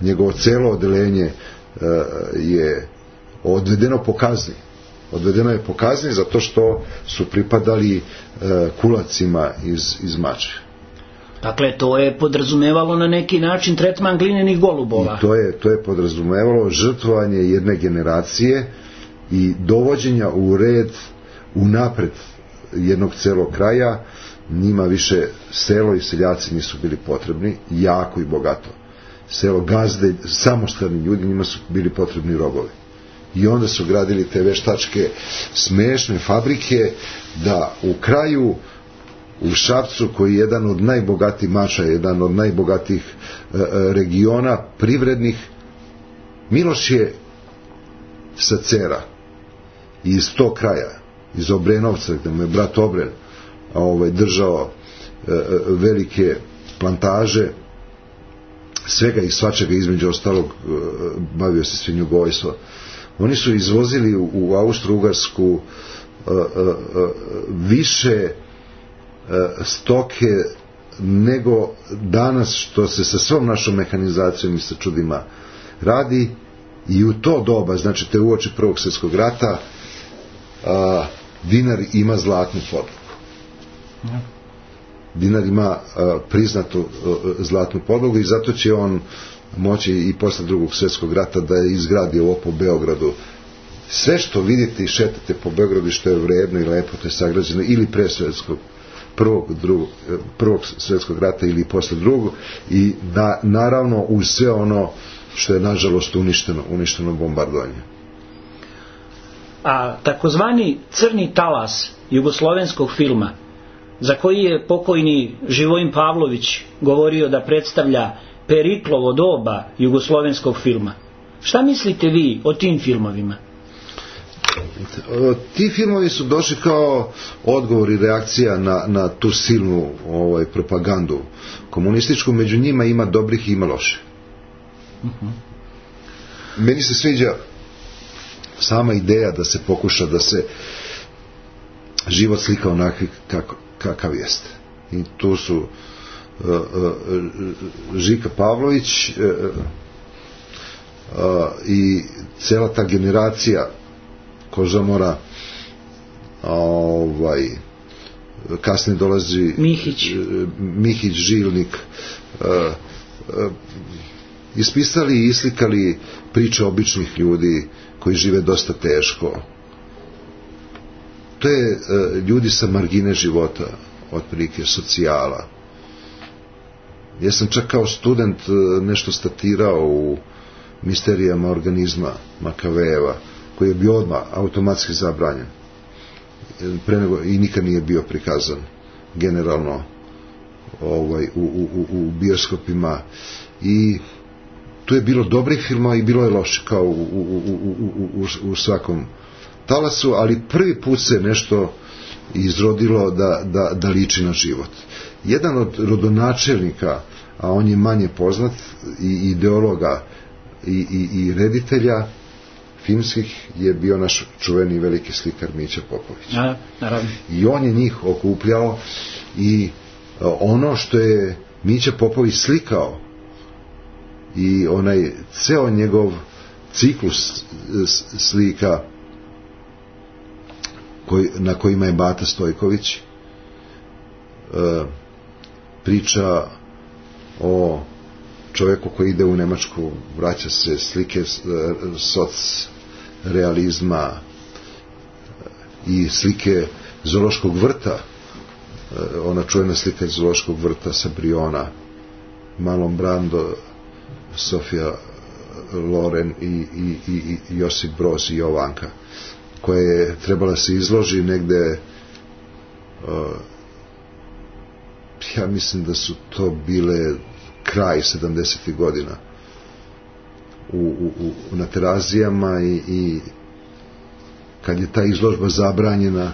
Njegovo celo odeljenje uh, je odvedeno po kazni. Odvedeno je po kazni zato što su pripadali uh, kulacima iz, iz Mačve. Dakle, to je podrazumevalo na neki način tretman glinenih golubova. I to je, to je podrazumevalo žrtvovanje jedne generacije i dovođenja u red unapred jednog celog kraja. Njima više selo i seljaci nisu bili potrebni, jako i bogato. Selo, gazde, samostalni ljudi, njima su bili potrebni robovi. I onda su gradili te veštačke smešne fabrike da u kraju, u Šapcu, koji je jedan od najbogatijih mača, jedan od najbogatijih e, regiona privrednih, Miloš je sa Cera iz tog kraja, iz Obrenovca, gde mu je brat Obren ovaj, držao e, velike plantaže, svega i svačega, između ostalog e, bavio se svinjogojstvo. Oni su izvozili u, u Austro-Ugarsku e, e, više e, stoke nego danas, što se sa svom našom mehanizacijom i sa čudima radi. I u to doba, znači te uoči Prvog svjetskog rata, a, dinar ima zlatnu podlogu. Dinar ima a, priznatu a, zlatnu podlogu i zato će on moći i posle Drugog svjetskog rata da izgradi ovo po Beogradu. Sve što vidite i šetate po Beogradu što je vredno i lepo, to je sagrađeno ili pre svjetskog prvog, drugog, prvog svjetskog rata ili posle drugog, i na, naravno uz sve ono što je nažalost uništeno, uništeno bombardovanje. A takozvani crni talas jugoslovenskog filma, za koji je pokojni Živojin Pavlović govorio da predstavlja Periklovo doba jugoslovenskog filma, šta mislite vi o tim filmovima? Ti filmovi su došli kao odgovor i reakcija na, na tu silnu ovaj, propagandu komunističku. Među njima ima dobrih i ima loših. Uh-huh. Meni se sviđa sama ideja da se pokuša da se život slika onakvi kako, kakav jeste. I tu su uh, uh, Žika Pavlović uh, uh, i cela ta generacija Kožamora, ovaj, kasnije dolazi Mihić, Mihić Žilnik, uh, uh, ispisali i islikali priče običnih ljudi koji žive dosta teško. To je uh, ljudi sa margine života, otprilike socijala. Ja sam čak kao student uh, nešto statirao u Misterijama organizma Makavejeva, koji je bio odmah automatski zabranjen pre nego, i nikad nije bio prikazan generalno ovaj, u, u, u bioskopima, i tu je bilo dobrih filmova i bilo je loše kao u, u, u, u, u, u svakom talasu, ali prvi put se nešto izrodilo da, da, da liči na život. Jedan od rodonačelnika, a on je manje poznat, i ideologa i, i, i reditelja filmskih, je bio naš čuveni veliki slikar Mića Popović. A, naravno. I on je njih okupljao, i ono što je Mića Popović slikao i onaj ceo njegov ciklus slika koji, na kojima je Bata Stojković, e, priča o čovjeku koji ide u Nemačku, vraća se, slike soc realizma i slike zoološkog vrta, ona čuvena slika iz zoološkog vrta sa Briona, Marlon Brando, Sofia Loren i, i, i, i Josip Broz i Jovanka, koja je trebala se izloži negde, uh, ja mislim da su to bile kraj sedamdesetih godina u, u, u, na Terazijama, i, i kad je ta izložba zabranjena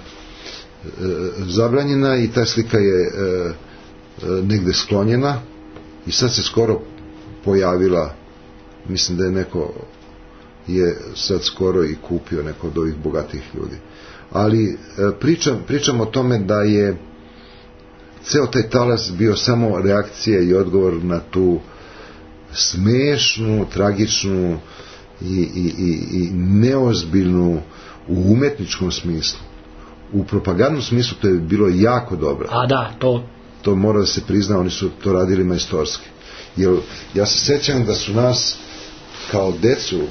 e, zabranjena i ta slika je e, e, negde sklonjena, i sad se skoro pojavila, mislim da je neko je sad skoro i kupio, neko od ovih bogatih ljudi, ali e, pričam, pričam o tome da je ceo taj talas bio samo reakcija i odgovor na tu smešnu, tragičnu i, i, i, i neozbiljnu u umetničkom smislu. U propagandnom smislu to je bilo jako dobro. A da, to... To mora da se prizna, oni su to radili majstorski. Jer ja se sećam da su nas kao decu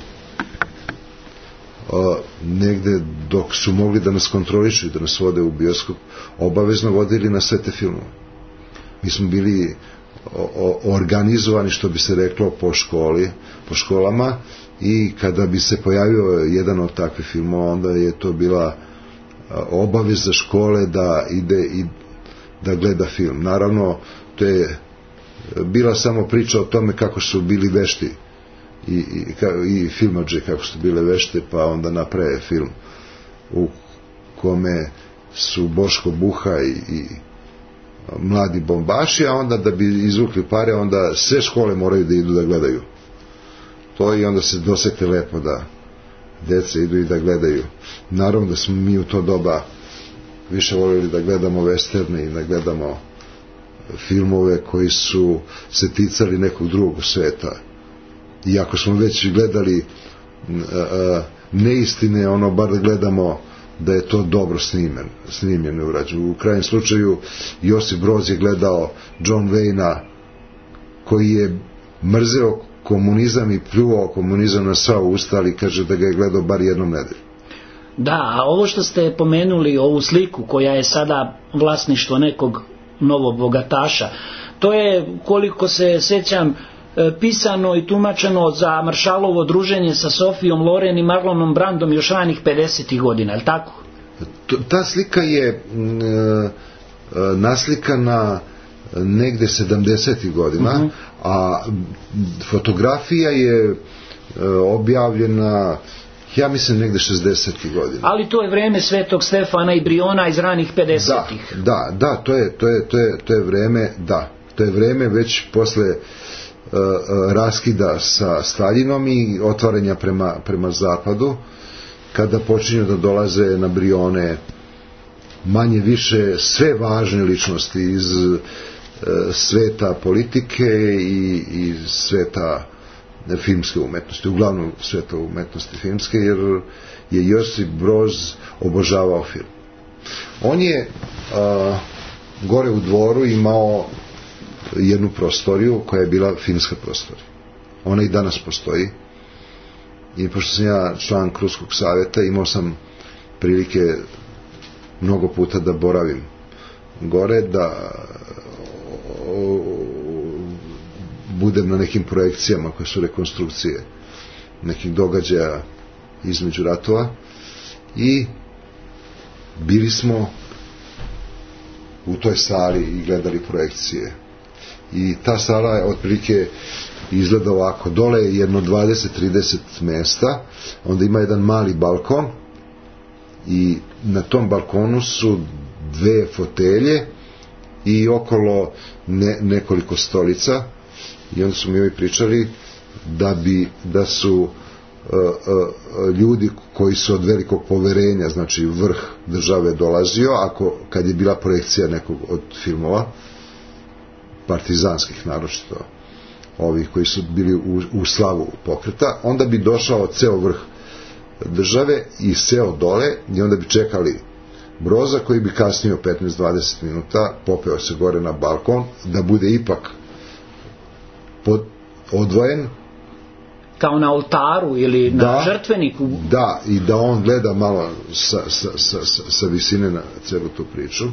uh, negde dok su mogli da nas kontrolišu i da nas vode u bioskop, obavezno vodili na sve te filmove. Mi smo bili o, o, organizovani, što bi se reklo, po školi, po školama, i kada bi se pojavio jedan od takvih filmova, onda je to bila obaveza škole da ide i da gleda film. Naravno, to je bila samo priča o tome kako su bili vešti i, i, i filmadže kako su bile vešte, pa onda naprave film u kome su Boško Buha i, i mladi bombaši, a onda da bi izvukli pare, onda sve škole moraju da idu da gledaju to, i onda se dosete lepo da deca idu i da gledaju. Naravno da smo mi u to doba više voljeli da gledamo westerne i da gledamo filmove koji su se ticali nekog drugog sveta. Iako smo već gledali a, neistine, ono bar da gledamo da je to dobro snimljeno, snimljeno urađeno. U krajnjem slučaju Josip Broz je gledao John Wayna, koji je mrzeo komunizam i pljuvao komunizam na sva usta, ali kaže da ga je gledao bar jednom nedelju. Da, a ovo što ste pomenuli, ovu sliku koja je sada vlasništvo nekog novog bogataša, to je, koliko se sjećam, pisano i tumačeno za Maršalovo druženje sa Sofijom Loren i Marlonom Brandom još ranih pedesetih godina, je li tako? Ta slika je e, naslikana negde sedamdesetih godina, uh-huh. a fotografija je e, objavljena, ja mislim, negde šezdesetih godina. Ali to je vreme Svetog Stefana i Briona iz ranih pedesetih. Da, da, da, to je, to je, to je, to je vreme, da, to je vreme već posle uh, raskida sa Staljinom i otvaranja prema, prema zapadu, kada počinju da dolaze na Brione manje više sve važne ličnosti iz uh, sveta politike i, i sveta filmske umetnosti, uglavnom sveta umetnosti filmske, jer je Josip Broz obožavao film. On je a, gore u dvoru imao jednu prostoriju koja je bila filmska prostorija. Ona i danas postoji, i pošto sam ja član Krunskog savjeta, imao sam prilike mnogo puta da boravim gore, da budem na nekim projekcijama koje su rekonstrukcije nekih događaja između ratova, i bili smo u toj sali i gledali projekcije. I ta sala je otprilike izgleda ovako: dole je jedno dvadeset do trideset mesta, onda ima jedan mali balkon i na tom balkonu su dve fotelje i okolo ne, nekoliko stolica. I onda su mi ovi pričali da bi da su uh, uh, ljudi koji su od velikog poverenja, znači vrh države, dolazio, ako kad je bila projekcija nekog od filmova partizanskih, naročito ovih koji su bili u, u slavu pokreta, onda bi došao ceo vrh države i seo dole, i onda bi čekali Broza, koji bi kasnio petnaest do dvadeset minuta, popeo se gore na balkon, da bude ipak pod, odvojen, kao na oltaru ili na da, žrtveniku. Da, i da on gleda malo sa, sa, sa, sa visine na celu tu priču,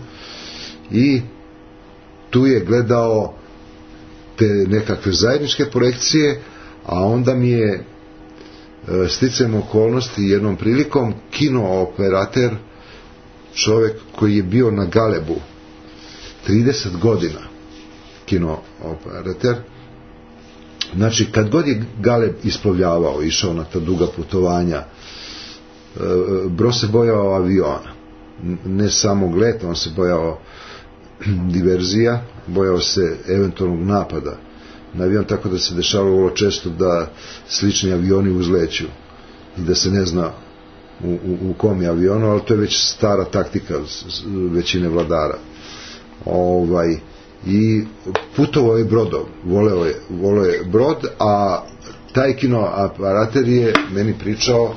i tu je gledao te nekakve zajedničke projekcije, a onda mi je sticajem okolnosti jednom prilikom kino operater, čovjek koji je bio na Galebu trideset godina, kino operater, znači kad god je Galeb isplovljavao, išao na ta duga putovanja, Broz se bojao aviona, ne samog leta, on se bojao diverzija, bojao se eventualnog napada na avion, tako da se dešavalo vrlo često da slični avioni uzleću i da se ne zna u, u, u kom je avionu, ali to je već stara taktika većine vladara. Ovaj, i putovao je brodom, voleo je, voleo je brod, a taj kino aparater je meni pričao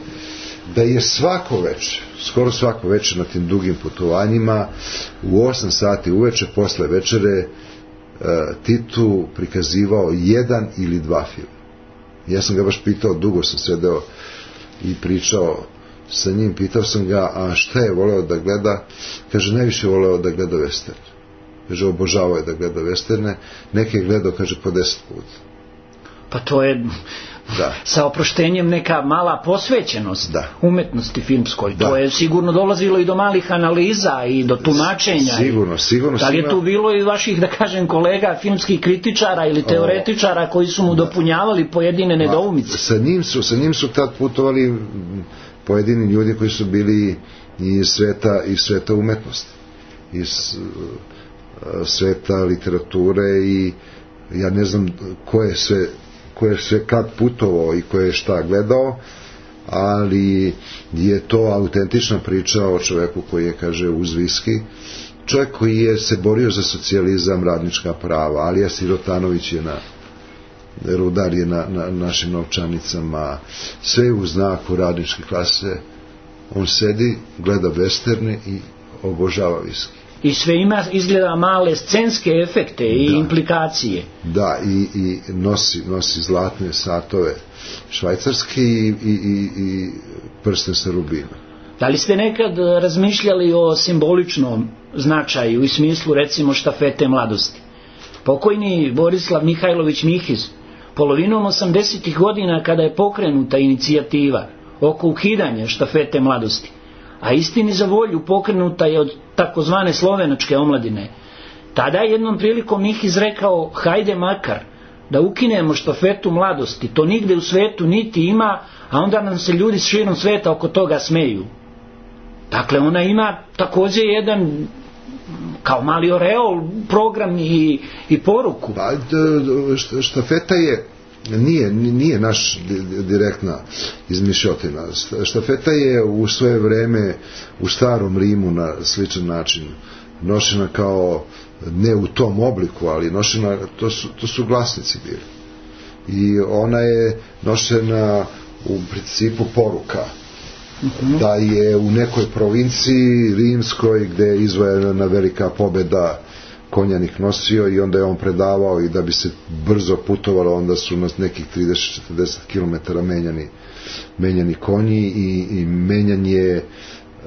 da je svako večer, skoro svako večer na tim dugim putovanjima, u osam sati uveče posle večere, Titu prikazivao jedan ili dva filma. Ja sam ga baš pitao, dugo sam sedeo i pričao sa njim, pitao sam ga, a šta je voleo da gleda? Kaže, najviše voleo da gleda western. Kaže, obožavao je da gleda westerne, neke je gledao, kaže, po deset puta. Pa to je, da, sa oproštenjem neka mala posvećenost, da, umetnosti filmskoj. Da. To je sigurno dolazilo i do malih analiza i do tumačenja. Sigurno, sigurno. Da li je tu bilo i vaših, da kažem, kolega filmskih kritičara ili teoretičara koji su mu dopunjavali pojedine nedoumice? Sa njim su, sa njim su tad putovali pojedini ljudi koji su bili iz sveta, iz sveta umetnosti, iz uh, sveta literature, i ja ne znam ko je sve ko je sve kad putovao i ko je šta gledao, ali je to autentična priča o čoveku koji je, kaže, uz viski, čovjek koji je se borio za socijalizam, radnička prava. Alija Sirotanović je na rudar je na, na našim novčanicama, sve u znaku radničke klase. On sedi, gleda westerne i obožava viski. I sve ima, izgleda, male scenske efekte i da, implikacije. Da, i, i nosi, nosi zlatne satove švajcarski i, i, i, i prsten sa rubina. Da li ste nekad razmišljali o simboličnom značaju i smislu, recimo, štafete mladosti? Pokojni Borislav Mihajlović Mihiz, polovinom osamdesetih godina, kada je pokrenuta inicijativa oko ukidanja štafete mladosti, a istini za volju pokrenuta je od takozvane slovenačke omladine, tada je jednom prilikom Mihiz rekao, hajde makar da ukinemo štafetu mladosti, to nigde u svetu niti ima, a onda nam se ljudi širom sveta oko toga smeju. Dakle, ona ima također jedan, kao mali oreol, program i, i poruku. Pa, štafeta je Nije, nije naš direktna izmišljotina. Štafeta je u svoje vreme u starom Rimu na sličan način nošena, kao ne u tom obliku, ali nošena, to su, to su glasnici bili. I ona je nošena u principu poruka. Uh-huh. Da je u nekoj provinciji rimskoj gde je izvojena velika pobeda konjanik nosio, i onda je on predavao, i da bi se brzo putovalo onda su nas nekih trideset do četrdeset kilometara menjani, menjani konji, i, i menjanje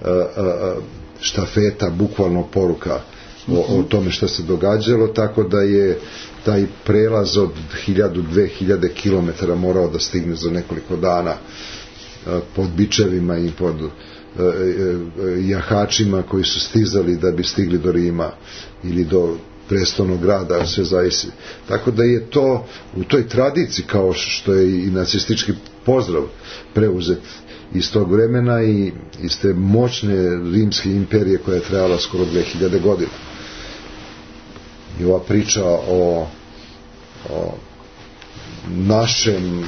a, a, štafeta, bukvalno poruka o, o tome što se događalo, tako da je taj prelaz od hiljadu, dve hiljade kilometara morao da stigne za nekoliko dana, a, pod bičevima i pod jahačima koji su stizali da bi stigli do Rima ili do prestolnog grada, sve zavisi. Tako da je to u toj tradiciji, kao što je i nacistički pozdrav preuzet iz tog vremena i iz te moćne rimske imperije koja je trajala skoro dve hiljade godina. I ova priča o, o našem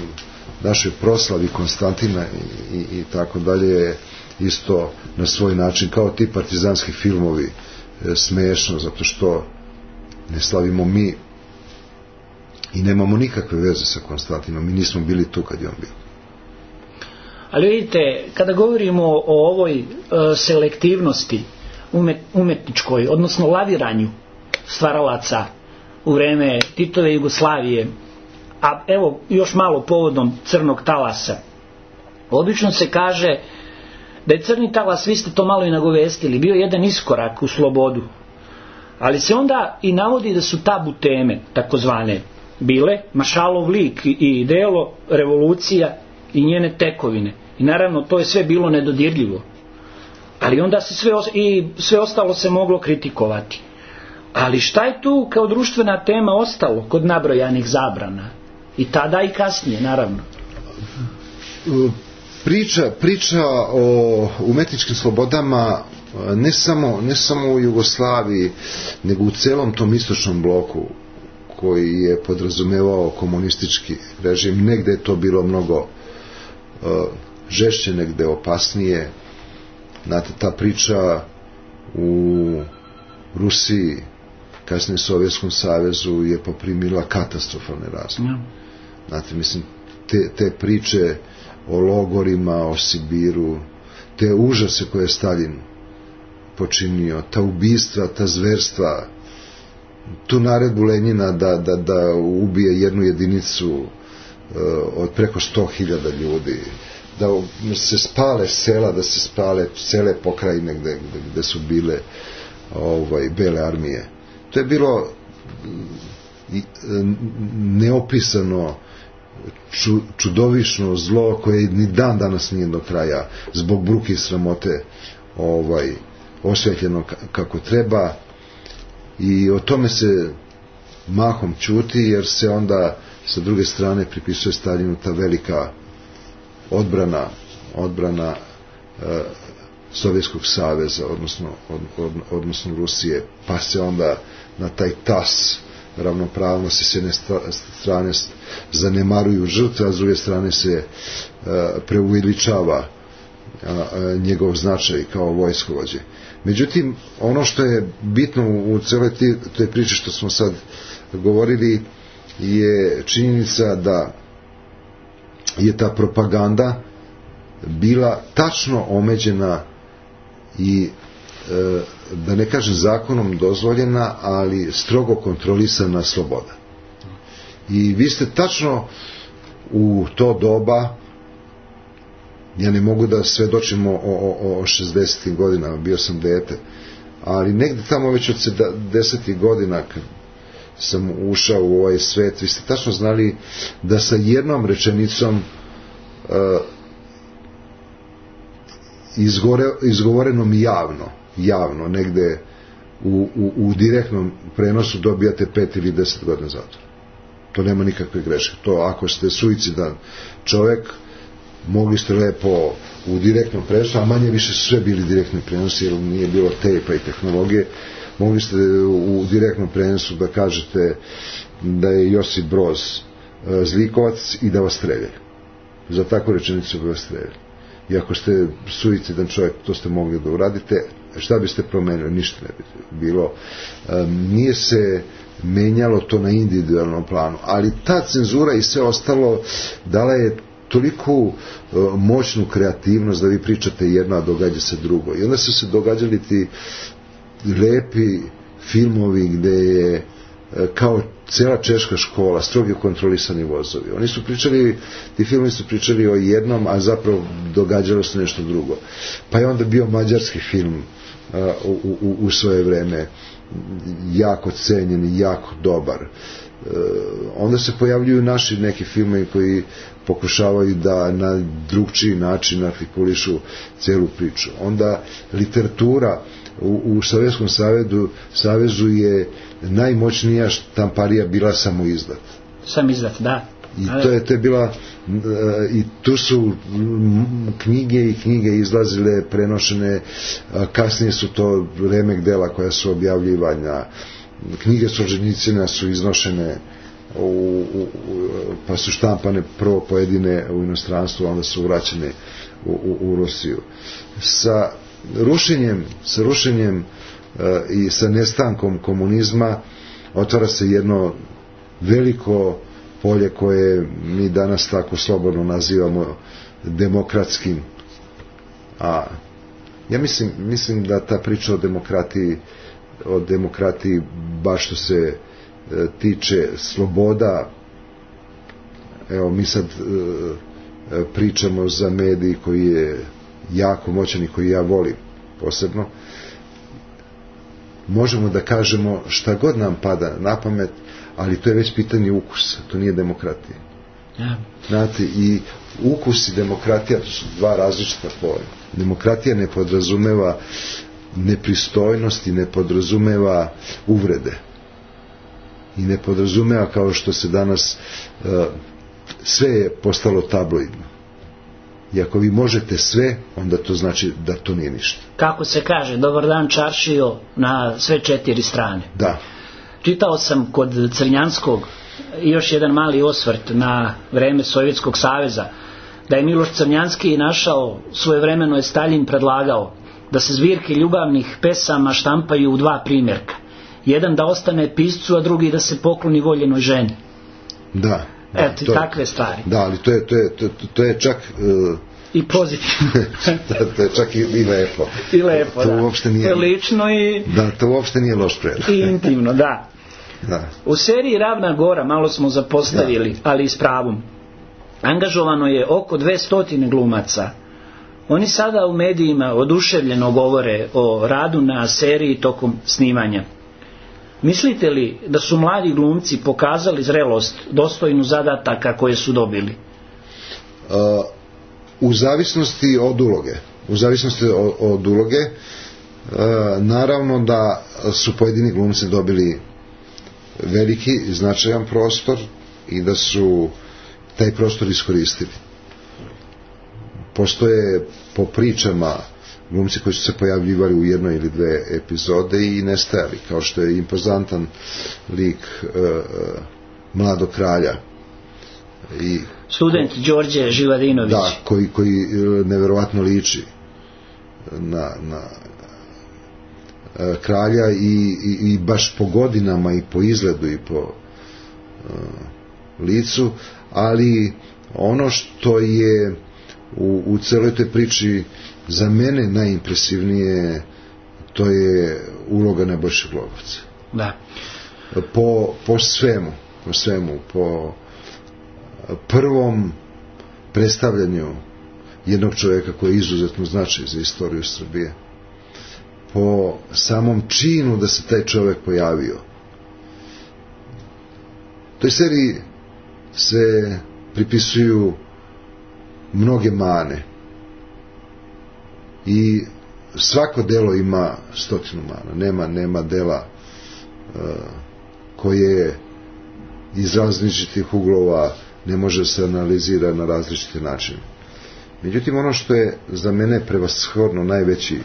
našoj proslavi Konstantina i, i, i tako dalje je isto na svoj način, kao ti partizanski filmovi, e, smešno, zato što ne slavimo mi i nemamo nikakve veze sa Konstantinom, mi nismo bili tu kad je on bio. Ali vidite, kada govorimo o ovoj e, selektivnosti umet, umetničkoj, odnosno laviranju stvaralaca u vreme Titove Jugoslavije, a evo još malo povodom crnog talasa, obično se kaže da je crni talas, vi ste to malo i nagovestili, bio jedan iskorak u slobodu, ali se onda i navodi da su tabu teme, takozvane, bile Mašalov lik i delo, revolucija i njene tekovine, i naravno to je sve bilo nedodirljivo, ali onda se sve, i sve ostalo se moglo kritikovati. Ali šta je tu kao društvena tema ostalo kod nabrojanih zabrana? I tada i kasnije, naravno. Priča, priča o umetničkim slobodama ne samo, ne samo u Jugoslaviji, nego u celom tom istočnom bloku koji je podrazumevao komunistički režim. Negde je to bilo mnogo uh, žešće, negde opasnije. Znate, ta priča u Rusiji, kasnije Sovjetskom savezu, je poprimila katastrofalne razmere. Mm. Znate, mislim, te, te priče o logorima, o Sibiru, te užase koje je Stalin počinio, ta ubistva, ta zverstva, tu naredbu Lenjina da, da, da ubije jednu jedinicu uh, od preko sto hiljada ljudi, da se spale sela, da se spale cele pokrajine gde, gde, gde su bile ovaj, bele armije. To je bilo neopisano ču, čudovišno zlo koje ni dan danas nije do kraja zbog bruke i sramote ovaj, osvetljeno kako treba, i o tome se mahom ćuti, jer se onda sa druge strane pripisuje Staljinu ta velika odbrana odbrana e, Sovjetskog saveza, odnosno, od, od, odnosno Rusije, pa se onda na taj tas ravnopravnosti s jedne strane zanemaruju žrtve, a s druge strane se e, preuveličava njegov značaj kao vojskovođe. Međutim, ono što je bitno u celoj toj priči što smo sad govorili je činjenica da je ta propaganda bila tačno omeđena i e, da ne kažem zakonom dozvoljena, ali strogo kontrolisana sloboda. I vi ste tačno u to doba, ja ne mogu da svedočim o, o, o šezdesetim godinama, bio sam dete, ali negde tamo već od sedamdesetih godina kad sam ušao u ovaj svet, vi ste tačno znali da sa jednom rečenicom uh, izgore, izgovorenom javno, javno, negde u, u, u direktnom prenosu dobijate pet ili deset godina zatvora. To nema nikakve greške. To ako ste suicidan čovek, mogli ste lepo u direktnom prenosu, a manje više su sve bili direktni prenosi, jer nije bilo tejpa i tehnologije, mogli ste u direktnom prenosu da kažete da je Josip Broz zlikovac i da vas streljaju. Za takvu rečenicu bi vas streljali. I ako ste suicidan čovjek, to ste mogli da uradite. Šta biste promenili? Ništa ne bi bilo. Nije se menjalo to na individualnom planu, ali ta cenzura i sve ostalo dala je toliku uh, moćnu kreativnost da vi pričate jedno, a događa se drugo. I onda su se događali ti lepi filmovi gde je uh, kao cela češka škola, strogi kontrolisani vozovi. Oni su pričali, ti filmovi su pričali o jednom, a zapravo događalo se nešto drugo. Pa je onda bio mađarski film uh, u, u, u svoje vreme jako cenjen i jako dobar. Uh, onda se pojavljuju naši neki filmovi koji pokušavaju da na drugčiji način artikulišu celu priču. Onda literatura u, u Sovjetskom savezu, savezu je najmoćnija štamparija bila samoizdat. Samizdat, da. I to je, to je bila i tu su knjige i knjige izlazile, prenošene, kasnije su to remek dela koja su objavljivanja, knjige Solženjicina su iznošene U, u, pa su štampane prvo pojedine u inostranstvu, onda su vraćene u, u, u Rusiju. Sa rušenjem, sa rušenjem uh, i sa nestankom komunizma otvara se jedno veliko polje koje mi danas tako slobodno nazivamo demokratskim. A ja mislim, mislim da ta priča o demokratiji, o demokratiji baš što se tiče sloboda, evo mi sad e, pričamo za medij koji je jako moćan i koji ja volim posebno, možemo da kažemo šta god nam pada na pamet, ali to je već pitanje ukusa, to nije demokratija. Ja. Znate, i ukus i demokratija, to su dva različita pojma. Demokratija ne podrazumeva nepristojnost i ne podrazumeva uvrede. I ne podrazumeva kao što se danas uh, sve je postalo tabloidno. I ako vi možete sve, onda to znači da to nije ništa. Kako se kaže, dobar dan čaršijo na sve četiri strane. Da. Čitao sam kod Crnjanskog još jedan mali osvrt na vreme Sovjetskog saveza, da je Miloš Crnjanski našao, svojevremeno je Staljin predlagao da se zbirke ljubavnih pesama štampaju u dva primjerka. Jedan da ostane piscu, a drugi da se pokloni voljenoj ženi. Da. da Eto, to, takve stvari. Da, ali to je, to je, to, to je čak... Uh, I pozitivno. da, to je čak i, i lepo. I lepo, to, da. To uopšte nije... To je lično i... Da, to uopšte nije loš predlog. I intimno, da. Da. U seriji Ravna Gora malo smo zapostavili, da. Ali i s pravom. angažovano je oko dvesta glumaca. Oni sada u medijima oduševljeno govore o radu na seriji tokom snimanja. Mislite li da su mladi glumci pokazali zrelost dostojnu zadataka koje su dobili? Uh, u zavisnosti od uloge. U zavisnosti od, od uloge uh, naravno da su pojedini glumci dobili veliki i značajan prostor i da su taj prostor iskoristili. Postoje po pričama glumci koji su se pojavljivali u jednoj ili dve epizode i nestajali, kao što je impozantan lik uh, Mladog kralja i student Đorđe Živadinović, da, koji, koji neverovatno liči na, na uh, kralja i, i, i baš po godinama i po izgledu i po uh, licu, ali ono što je u, u celoj toj priči za mene najimpresivnije, to je uloga Nebojše Glogovca. Da. Po, po svemu, po svemu, po prvom predstavljanju jednog čovjeka koji je izuzetno značaj za istoriju Srbije, po samom činu da se taj čovjek pojavio. Toj seriji se pripisuju mnoge mane i svako delo ima stotinu mana. Nema, nema dela uh, koje iz različitih uglova ne može se analizira na različite načine. Međutim, ono što je za mene prevashodno najveći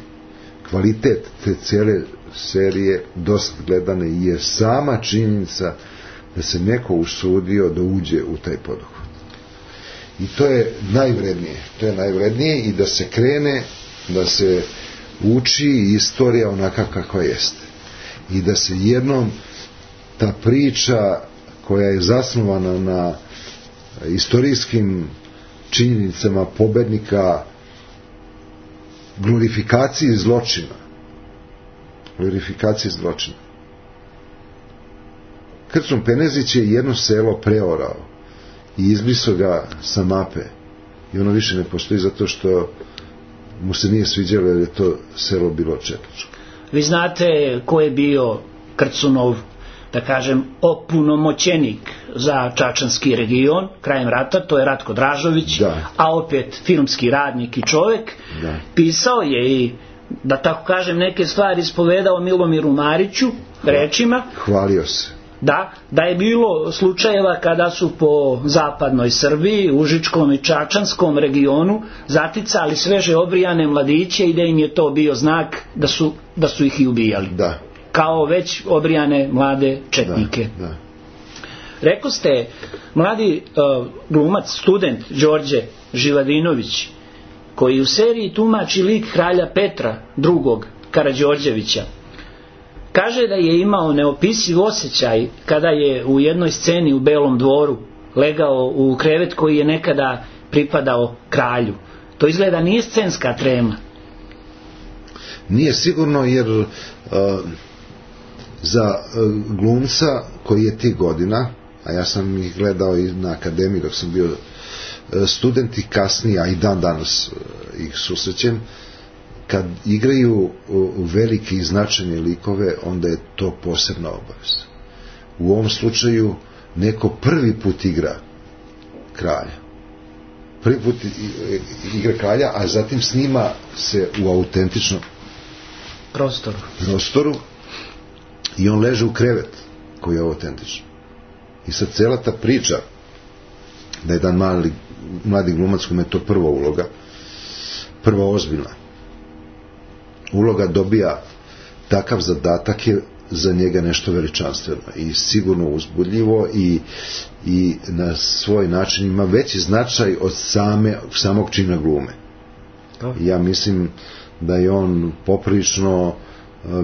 kvalitet te cijele serije dosad gledane je sama činjenica da se neko usudio da uđe u taj poduhvat. I to je najvrednije. To je najvrednije i da se krene, da se uči istorija onaka kakva jeste. I da se jednom ta priča koja je zasnovana na istorijskim činjenicama pobednika, glorifikaciji zločina, glorifikaciji zločina. Krčom Penezić je jedno selo preorao i izbrisao ga sa mape i ono više ne postoji zato što mu se nije sviđalo jer je to selo bilo četničko. Vi znate ko je bio Krcunov, da kažem, opunomoćenik za čačanski region krajem rata, to je Ratko Dražović, da. A opet filmski radnik i čovjek. Da. Pisao je i, da tako kažem, neke stvari ispovedao Milomiru Mariću rečima. Hvalio se. Da, da je bilo slučajeva kada su po zapadnoj Srbiji, Užičkom i Čačanskom regionu zaticali sveže obrijane mladiće i da im je to bio znak da su, da su ih i ubijali. Da. Kao već obrijane mlade četnike. Da, da. Rekao ste, mladi uh, glumac, student Đorđe Živadinović, koji u seriji tumači lik kralja Petra drugog Karađorđevića, kaže da je imao neopisiv osjećaj kada je u jednoj sceni u Belom dvoru legao u krevet koji je nekada pripadao kralju. To izgleda nije scenska trema. Nije sigurno, jer uh, za uh, glumca koji je tih godina, a ja sam ih gledao i na akademiji dok sam bio uh, student i kasnije, a i dan danas uh, ih susrećem, kad igraju velike i značajne likove, onda je to posebna obaveza. U ovom slučaju neko prvi put igra kralja. Prvi put igra kralja, a zatim snima se u autentičnom prostoru. prostoru i on leže u krevet koji je autentičan. I sad cela ta priča da je jedan mali, mladi glumac kome je to prva uloga, prva ozbiljna uloga, dobija takav zadatak je za njega nešto veličanstveno i sigurno uzbudljivo i, i na svoj način ima veći značaj od same, samog čina glume. Ja mislim da je on poprilično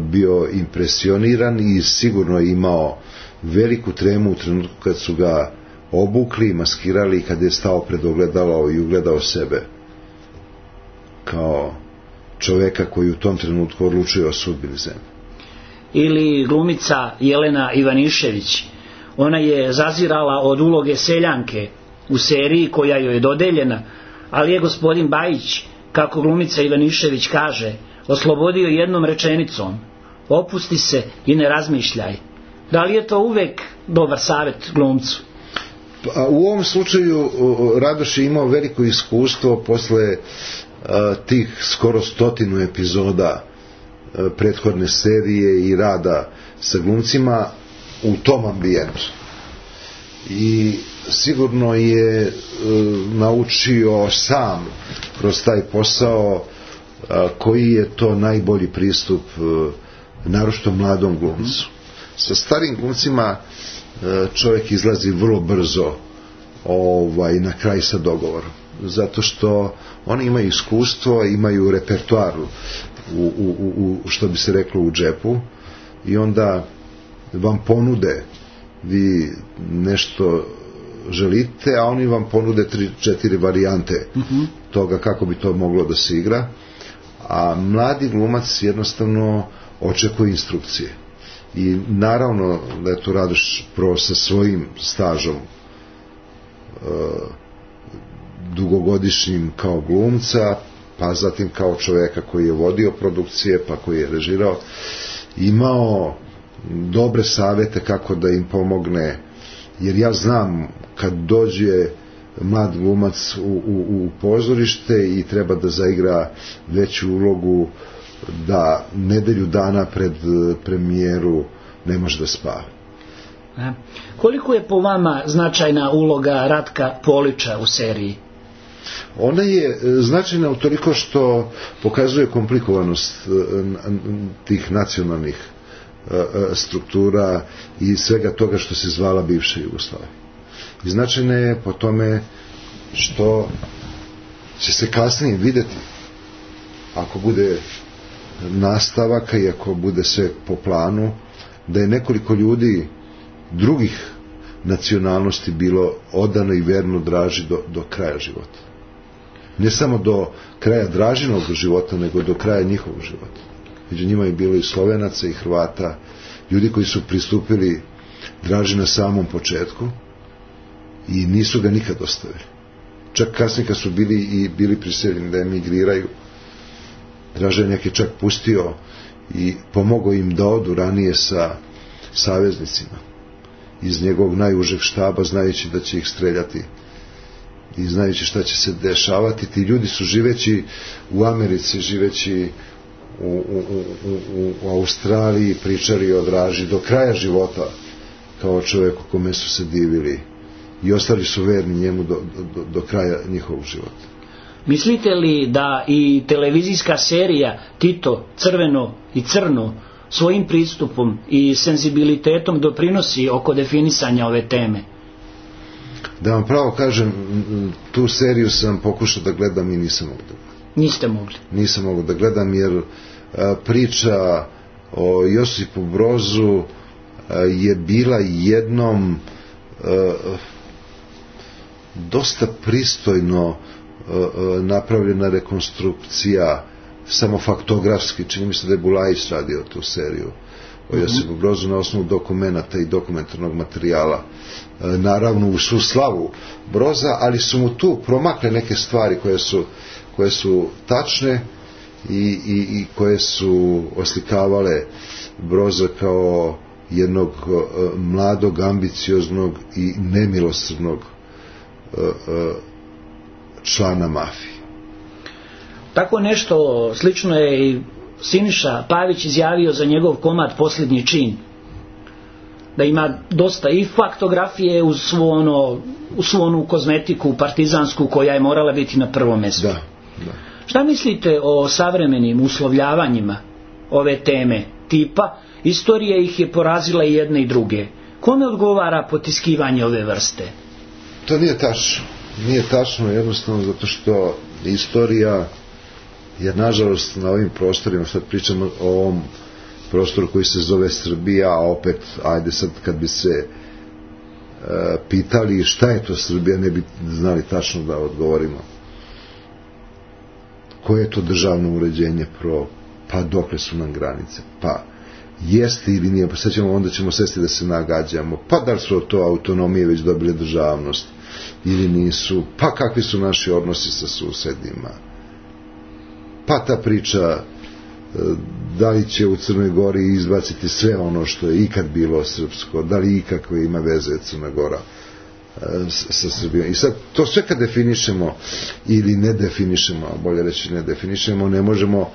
bio impresioniran i sigurno je imao veliku tremu u trenutku kad su ga obukli, maskirali i kad je stao pred ogledalo i ugledao sebe kao čoveka koji u tom trenutku odlučuje o sudbini zemlje. Ili glumica Jelena Ivanišević, ona je zazirala od uloge seljanke u seriji koja joj je dodeljena, ali je gospodin Bajić, kako glumica Ivanišević kaže, oslobodio jednom rečenicom: opusti se i ne razmišljaj. Da li je to uvek dobar savjet glumcu? Pa, u ovom slučaju Radoš je imao veliko iskustvo posle a, tih skoro stotinu epizoda a, prethodne serije i rada sa glumcima u tom ambijentu. I sigurno je a, naučio sam kroz taj posao a, koji je to najbolji pristup a, naročito mladom glumcu. Sa starim glumcima čovjek izlazi vrlo brzo ovaj, na kraj sa dogovorom, zato što oni imaju iskustvo, imaju repertoar u, u, u, što bi se reklo u džepu, i onda vam ponude, vi nešto želite, a oni vam ponude tri, četiri varijante mm-hmm. toga kako bi to moglo da se igra, a mladi glumac jednostavno očekuje instrukcije. I naravno da je to Radoš prvo sa svojim stažom e, dugogodišnjim kao glumca, pa zatim kao čoveka koji je vodio produkcije, pa koji je režirao, imao dobre savjete kako da im pomogne, jer ja znam kad dođe mlad glumac u, u, u pozorište i treba da zaigra veću ulogu, da nedelju dana pred premijeru ne može da spava. A, koliko je po vama značajna uloga Ratka Polića u seriji? Ona je značajna utoliko što pokazuje komplikovanost tih nacionalnih struktura i svega toga što se zvala bivša Jugoslavija. I značajna je po tome što će se kasnije vidjeti, ako bude nastavaka i ako bude sve po planu, da je nekoliko ljudi drugih nacionalnosti bilo odano i verno Draži do, do kraja života. Ne samo do kraja Dražinog života, nego do kraja njihovog života. Među njima je bilo i Slovenaca i Hrvata, ljudi koji su pristupili Draži na samom početku i nisu ga nikad ostavili. Čak kasnije kad su bili i bili prisiljeni da emigriraju, Draža je čak pustio i pomogao im da odu ranije sa saveznicima iz njegovog najužeg štaba, znajući da će ih streljati i znajući šta će se dešavati. Ti ljudi su živeći u Americi, živeći u, u, u, u, u Australiji, pričali o Draži do kraja života kao čovjeku kome su se divili i ostali su verni njemu do, do, do kraja njihovog života. Mislite li da i televizijska serija Tito, Crveno i Crno svojim pristupom i senzibilitetom doprinosi oko definisanja ove teme? Da vam pravo kažem, tu seriju sam pokušao da gledam i nisam mogao da gledam. Niste mogli? Nisam mogao da gledam jer a, priča o Josipu Brozu a, je bila jednom a, dosta pristojno napravljena rekonstrukcija, samo faktografski, čini mi se da je Bulajić radio tu seriju o Josipu Brozu na osnovu dokumenata i dokumentarnog materijala, naravno u svu slavu Broza, ali su mu tu promakle neke stvari koje su, koje su tačne i, i, i koje su oslikavale Broza kao jednog mladog, ambicioznog i nemilosrdnog člana mafije. Tako nešto slično je i Siniša Pavić izjavio za njegov komad Posljednji čin. Da ima dosta i faktografije uz svu, ono, uz svu onu kozmetiku partizansku koja je morala biti na prvom mjestu. Da, da. Šta mislite o savremenim uslovljavanjima ove teme tipa istorija ih je porazila i jedne i druge? Kome odgovara potiskivanje ove vrste? To nije tačno. Nije tačno jednostavno zato što istorija je nažalost na ovim prostorima, sad pričamo o ovom prostoru koji se zove Srbija, a opet, ajde sad kad bi se e, pitali šta je to Srbija, ne bi znali tačno da odgovorimo. Koje je to državno uređenje pro, pa dokle su nam granice, pa jeste ili nije, pa sad ćemo, onda ćemo sesti da se nagađamo, pa da li su to autonomije već dobile državnost, ili nisu, pa kakvi su naši odnosi sa susedima, pa ta priča da li će u Crnoj Gori izbaciti sve ono što je ikad bilo srpsko, da li ikakve ima veze Crna Gora sa Srbijom. I sad to sve kad definišemo ili ne definišemo, bolje reći ne definišemo, ne možemo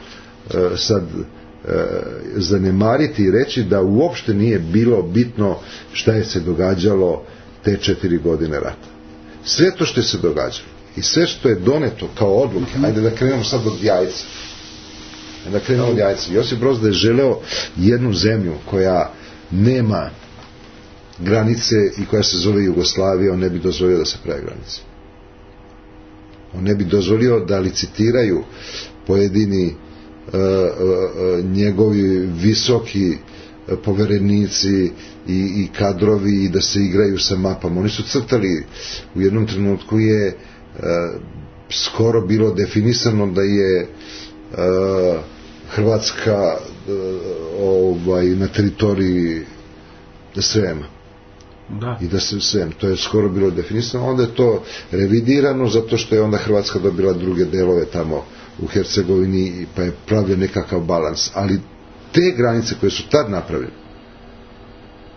sad zanemariti i reći da uopšte nije bilo bitno šta je se događalo te četiri godine rata. Sve to što je se događalo i sve što je doneto kao odluke, ajde da krenemo sad od jajca. Da krenemo od jajca. Josip Broz da je želeo jednu zemlju koja nema granice i koja se zove Jugoslavija, on ne bi dozvolio da se prave granice. On ne bi dozvolio da licitiraju pojedini uh, uh, njegovi visoki poverenici i, i kadrovi i da se igraju sa mapama. Oni su crtali, u jednom trenutku je uh, skoro bilo definisano da je uh, Hrvatska uh, ovaj, na teritoriji Srema. Da. I da se Srem, to je skoro bilo definisano, onda je to revidirano zato što je onda Hrvatska dobila druge delove tamo u Hercegovini, pa je pravljen nekakav balans, ali te granice koje su tad napravljene,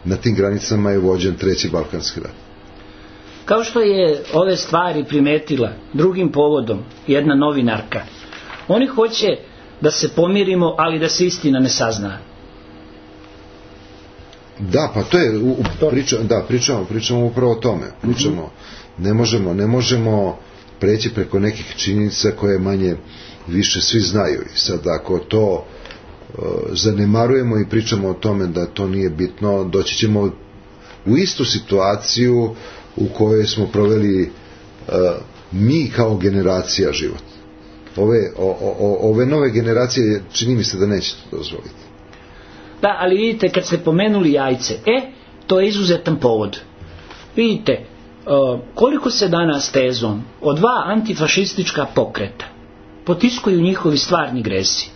na tim granicama je vođen treći Balkanski rat. Kao što je ove stvari primetila drugim povodom jedna novinarka, oni hoće da se pomirimo, ali da se istina ne sazna. Da, pa to je u, priča, da, pričamo, pričamo upravo o tome. Pričamo, mm-hmm. ne možemo, ne možemo preći preko nekih činjenica koje manje više svi znaju. I sad ako to uh, zanemarujemo i pričamo o tome da to nije bitno, doći ćemo u istu situaciju u kojoj smo proveli uh, mi kao generacija život. Ove, o, o, ove nove generacije čini mi se da neće to dozvoliti. Da, ali vidite, kad ste pomenuli jajce, e, to je izuzetan povod. Vidite, uh, koliko se danas tezom o dva antifašistička pokreta potiskuju njihovi stvarni gresi.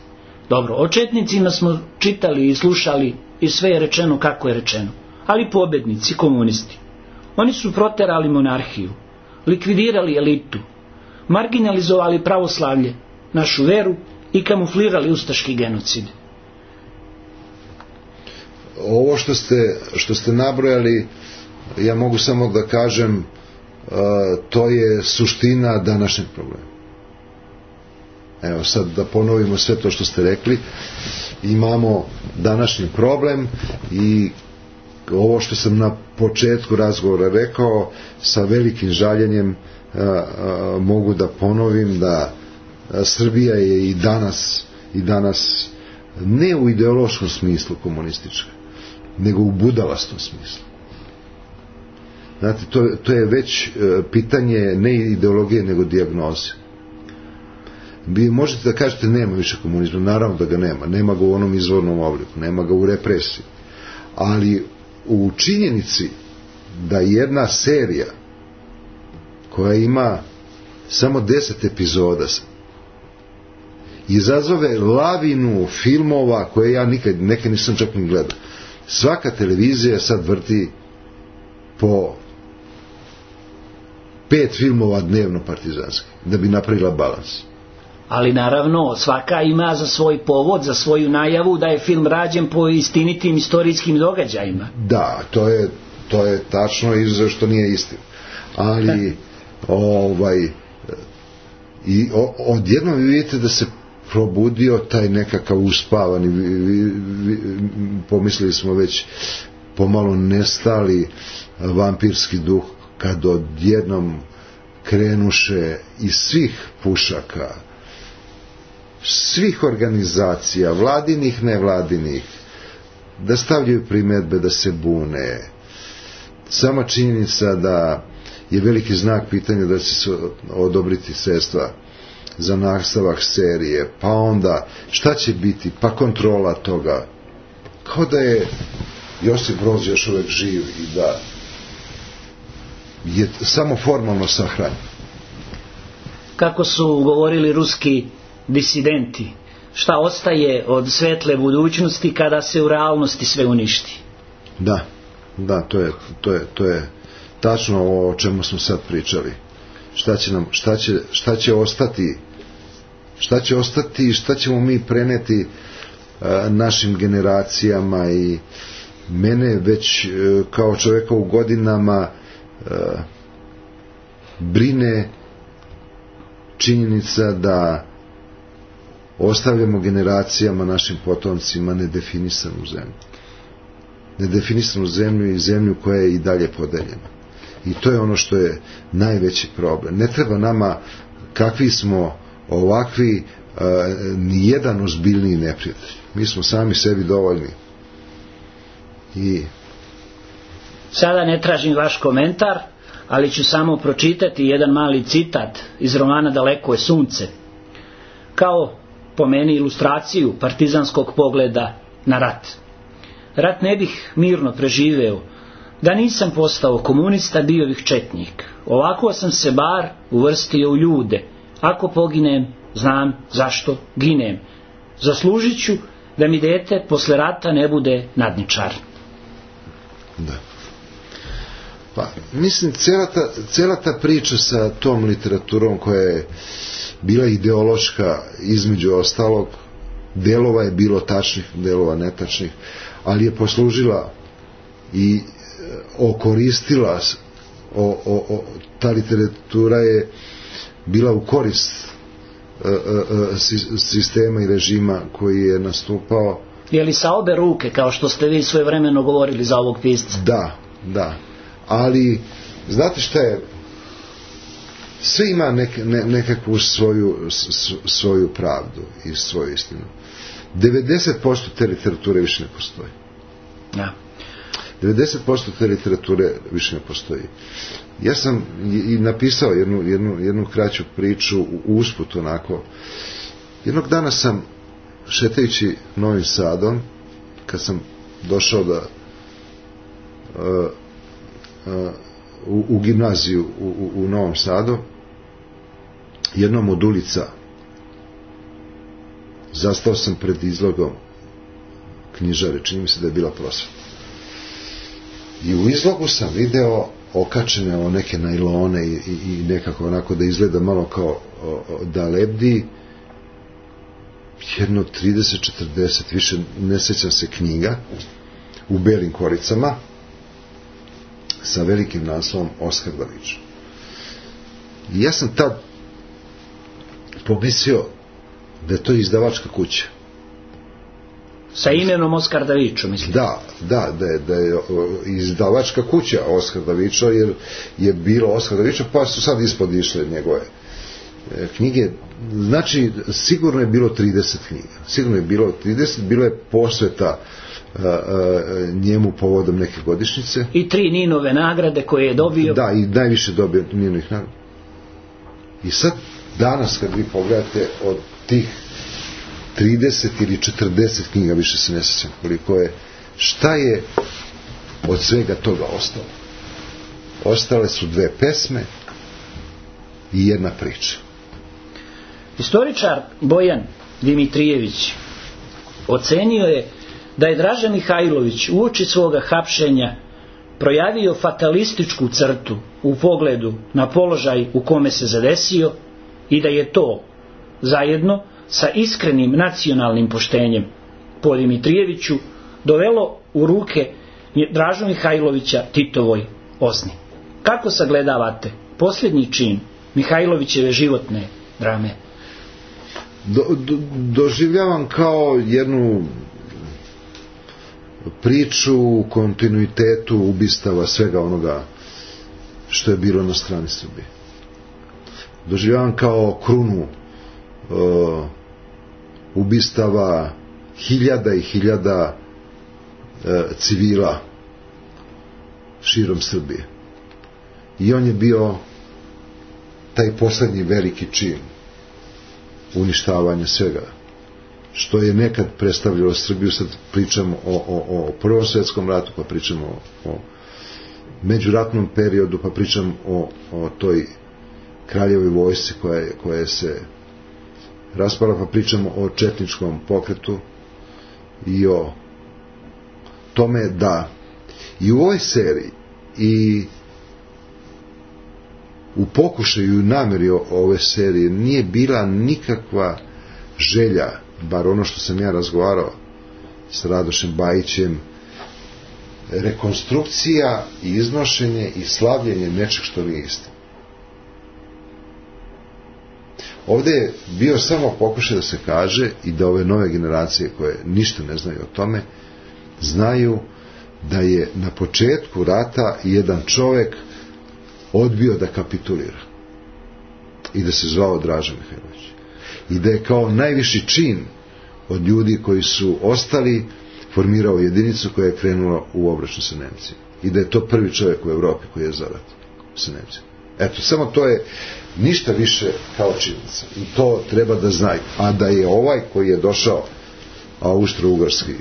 Dobro, o četnicima smo čitali i slušali i sve je rečeno kako je rečeno. Ali pobednici, komunisti, oni su proterali monarhiju, likvidirali elitu, marginalizovali pravoslavlje, našu veru i kamuflirali ustaški genocid. Ovo što ste, što ste nabrojali, ja mogu samo da kažem, uh, to je suština današnjeg problema. Evo sad da ponovimo sve to što ste rekli. Imamo današnji problem i ovo što sam na početku razgovora rekao, sa velikim žaljenjem uh, uh, mogu da ponovim da uh, Srbija je i danas, i danas ne u ideološkom smislu komunistička, nego u budalastom smislu. Znate, to, to je već uh, pitanje ne ideologije, nego dijagnoze. Vi možete da kažete nema više komunizma, naravno da ga nema, nema ga u onom izvornom obliku, nema ga u represiji, ali u činjenici da jedna serija koja ima samo deset epizoda izazove lavinu filmova koje ja nikad, neke nisam čak ni gledao. Svaka televizija sad vrti po pet filmova dnevno partizanski, da bi napravila balans. Ali naravno, svaka ima za svoj povod, za svoju najavu da je film rađen po istinitim istorijskim događajima. Da, to je, to je tačno i što nije istina. Ali, ovaj, i odjednom vi vidite da se probudio taj nekakav uspavani, vi, vi, vi, pomislili smo već pomalo nestali vampirski duh, kad odjednom krenuše iz svih pušaka, svih organizacija, vladinih, nevladinih, da stavljaju primedbe, da se bune. Sama činjenica da je veliki znak pitanja da će se odobriti sredstva za nastavak serije, pa onda šta će biti, pa kontrola toga, kao da je Josip Broz još uvek živ i da je samo formalno sahranjen. Kako su govorili ruski disidenti, šta ostaje od svetle budućnosti kada se u realnosti sve uništi? Da, da, to je, to je, to je, tačno o čemu smo sad pričali. Šta će nam, šta će, šta će ostati, šta će ostati i šta ćemo mi preneti a, našim generacijama. I mene već a, kao čovjeka u godinama a, brine činjenica da ostavljamo generacijama, našim potomcima nedefinisanu zemlju. Nedefinisanu zemlju i zemlju koja je i dalje podeljena. I to je ono što je najveći problem. Ne treba nama, kakvi smo ovakvi, uh, ni jedan ozbiljniji neprijatelj. Mi smo sami sebi dovoljni. I sada ne tražim vaš komentar, ali ću samo pročitati jedan mali citat iz romana Daleko je sunce, kao po meni ilustraciju partizanskog pogleda na rat. Rat ne bih mirno preživeo da nisam postao komunista, bio bih četnik. Ovako sam se bar uvrstio u ljude. Ako poginem, znam zašto ginem. Zaslužit ću da mi dete posle rata ne bude nadničar. Da. Pa, mislim, cijela ta, cijela ta priča sa tom literaturom koja je bila ideološka, između ostalog, delova je bilo tačnih, delova netačnih, ali je poslužila i okoristila, o, o, o, ta literatura je bila u korist e, e, sistema i režima koji je nastupao. Je li sa obe ruke, kao što ste vi svojevremeno govorili za ovog pisca? Da, da. Ali, znate šta je, sve ima nek, ne, nekakvu svoju, s, svoju pravdu i svoju istinu. devedeset posto te literature više ne postoji. Ja. devedeset posto te literature više ne postoji. Ja sam i napisao jednu, jednu, jednu kraću priču u usput onako. Jednog dana sam, šetajući Novim Sadom, kad sam došao da uh, uh, u, u gimnaziju u, u, u Novom Sadu, jednom od ulica zastao sam pred izlogom knjižare, čini mi se da je bila Prosveta. I u izlogu sam video okačene o neke najlone i, i, i nekako onako da izgleda malo kao o, o, da lebdi jedno trideset četrdeset, više ne sjećam se, knjiga u belim koricama sa velikim naslovom Oskar Davičo. I ja sam tad pomislio da je to izdavačka kuća. Sa imenom Oskar Davičo, mislim. Da, da, da je, da je izdavačka kuća Oskar Davičo, jer je bilo Oskar Davičo, pa su sad ispod išle njegove knjige. Znači, sigurno je bilo trideset knjiga. Sigurno je bilo trideset, bilo je posveta a, a, njemu povodom neke godišnjice. I tri Ninove nagrade koje je dobio. Da, i najviše dobio Ninovih nagrada. I sad, danas, kad vi pogledate od tih trideset ili četrdeset knjiga, više se ne sjećam koliko je, šta je od svega toga ostalo? Ostale su dve pesme i jedna priča. Istoričar Bojan Dimitrijević ocenio je da je Draža Mihajlović uoči svoga hapšenja projavio fatalističku crtu u pogledu na položaj u kome se zadesio i da je to zajedno sa iskrenim nacionalnim poštenjem po Dimitrijeviću dovelo u ruke Dražu Mihajlovića Titovoj Ozni. Kako sagledavate posljednji čin Mihajlovićeve životne drame? Do, do, doživljavam kao jednu priču u kontinuitetu ubistava svega onoga što je bilo na strani Srbije. Doživljavam kao krunu uh, ubistava hiljada i hiljada uh, civila širom Srbije. I on je bio taj poslednji veliki čin uništavanja svega što je nekad predstavljalo Srbiju. Sad pričamo o, o, o Prvom svjetskom ratu, pa pričamo o, o međuratnom periodu, pa pričamo o, o toj kraljevoj vojsci koja je, koja se raspala, pa pričamo o četničkom pokretu i o tome da i u ovoj seriji i u pokušaju i namjeri ove serije nije bila nikakva želja, bar ono što sam ja razgovarao s Radošem Bajićem, rekonstrukcija i iznošenje i slavljenje nečeg što nije isto. Ovdje je bio samo pokušaj da se kaže i da ove nove generacije koje ništa ne znaju o tome znaju da je na početku rata jedan čovjek odbio da kapitulira i da se zvao Draža Mihajlović i da je kao najviši čin od ljudi koji su ostali formirao jedinicu koja je krenula u obračun sa Nemcima i da je to prvi čovjek u Evropi koji je za rat sa Nemcima. Eto, samo to je ništa više kao činjenica i to treba da znaju. A da je ovaj koji je došao austro-ugarski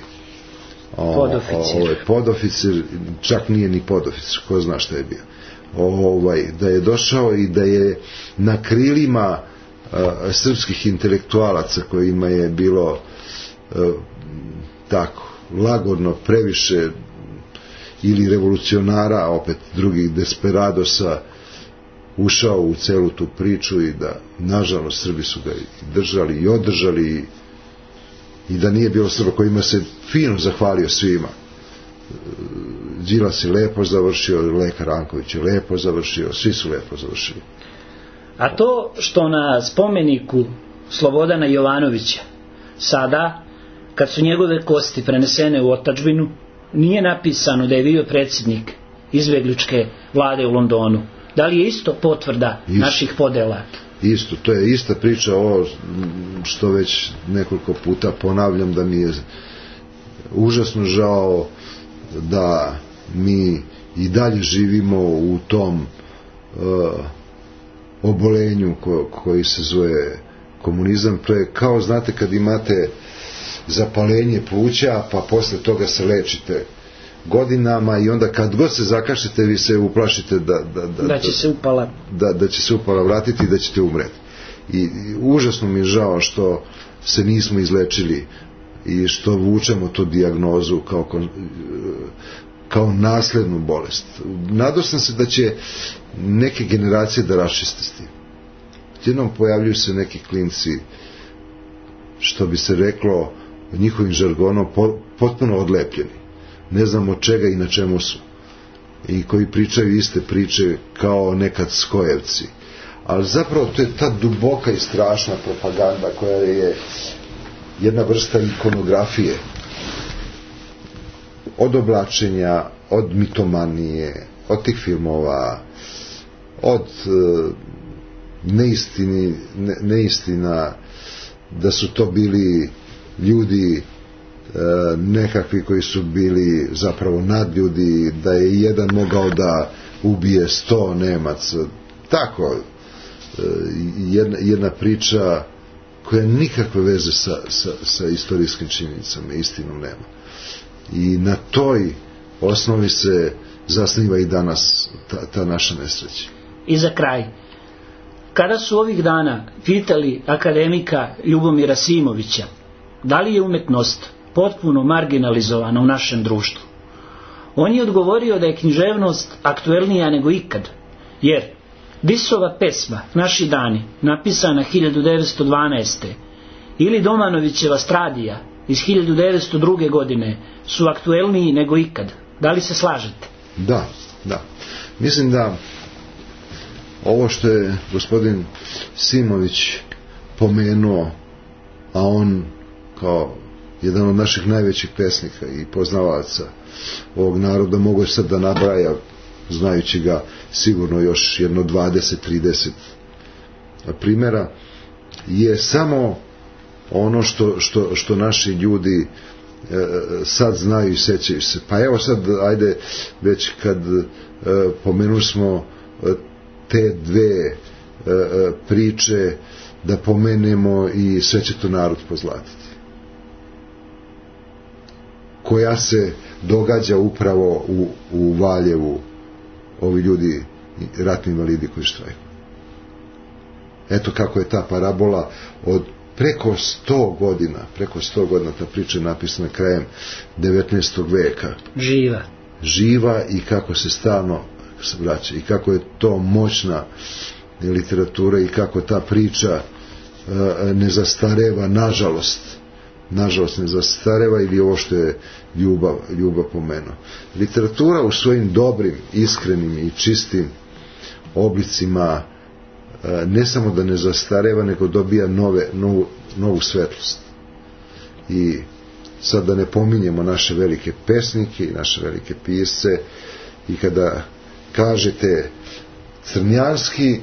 podoficir. Ovaj podoficir, čak nije ni podoficir, ko zna šta je bio. Ovaj, da je došao i da je na krilima uh, srpskih intelektualaca kojima je bilo uh, tako lagodno previše ili revolucionara, opet drugih desperadosa, ušao u celu tu priču i da nažalost Srbi su ga i držali i održali i da nije bilo Srba kojima se fino zahvalio svima. Đilas je lepo završio, Leka Ranković je lepo završio, svi su lepo završili. A to što na spomeniku Slobodana Jovanovića sada, kad su njegove kosti prenesene u otadžbinu, nije napisano da je bio predsjednik izbjegličke vlade u Londonu. Da li je isto potvrda isto, naših podela? Isto, to je ista priča, ovo što već nekoliko puta ponavljam, da mi je užasno žao da mi i dalje živimo u tom uh, obolenju ko, koji se zove komunizam. To je kao, znate, kad imate zapalenje pluća pa posle toga se lečite godinama i onda kad god se zakašljete vi se uplašite da, da, da, da će se upala da, da će se upala vratiti i da ćete umreti. I, i užasno mi je žao što se nismo izlečili i što vučemo tu dijagnozu kao, kao naslednu bolest. Nadao sam se da će neke generacije da raščiste s tim. Jednom pojavljuju se neki klinci, što bi se reklo njihovim žargonom, potpuno odlepljeni, ne znam od čega i na čemu su, i koji pričaju iste priče kao nekad Skojevci, ali zapravo to je ta duboka i strašna propaganda koja je jedna vrsta ikonografije, od oblačenja, od mitomanije, od tih filmova, od uh, neistini, ne, neistina da su to bili ljudi e, nekakvi koji su bili zapravo nadljudi, da je jedan mogao da ubije sto Nemaca, tako e, jedna, jedna priča koja nikakve veze sa, sa, sa istorijskim činjenicama, istinom nema. I na toj osnovi se zasniva i danas ta, ta naša nesreća. I za kraj, kada su ovih dana pitali akademika Ljubomira Simovića da li je umetnost potpuno marginalizovana u našem društvu, on je odgovorio da je književnost aktuelnija nego ikad, jer Disova pesma Naši dani, napisana hiljadu devetsto dvanaeste ili Domanovićeva Stradija iz hiljadu devetsto druge godine su aktuelniji nego ikad. Da li se slažete? Da, da. Mislim da ovo što je gospodin Simović pomenuo, a on kao jedan od naših najvećih pesnika i poznavaca ovog naroda, mogu sad da nabraja, znajući ga sigurno još jedno dvadeset trideset primjera, je samo ono što, što, što naši ljudi e, sad znaju i sećaju se. Pa evo sad, ajde, već kad e, pomenuli smo e, te dve e, priče, da pomenemo i Sve će to narod pozlatiti, koja se događa upravo u, u Valjevu, ovi ljudi, ratni invalidi koji štrajkuju. Eto kako je ta parabola od preko sto godina, preko sto godina, ta priča je napisana krajem devetnaestog veka. Živa. Živa i kako se stalno, se vraća i kako je to moćna literatura i kako ta priča ne zastareva, nažalost nažalost ne zastareva, ili ovo što je ljubav, ljubav pomenuo. Literatura u svojim dobrim, iskrenim i čistim oblicima ne samo da ne zastareva, nego dobija nove, novu, novu svetlost. I sad da ne pominjemo naše velike pesnike i naše velike pisce, i kada kažete Crnjanski,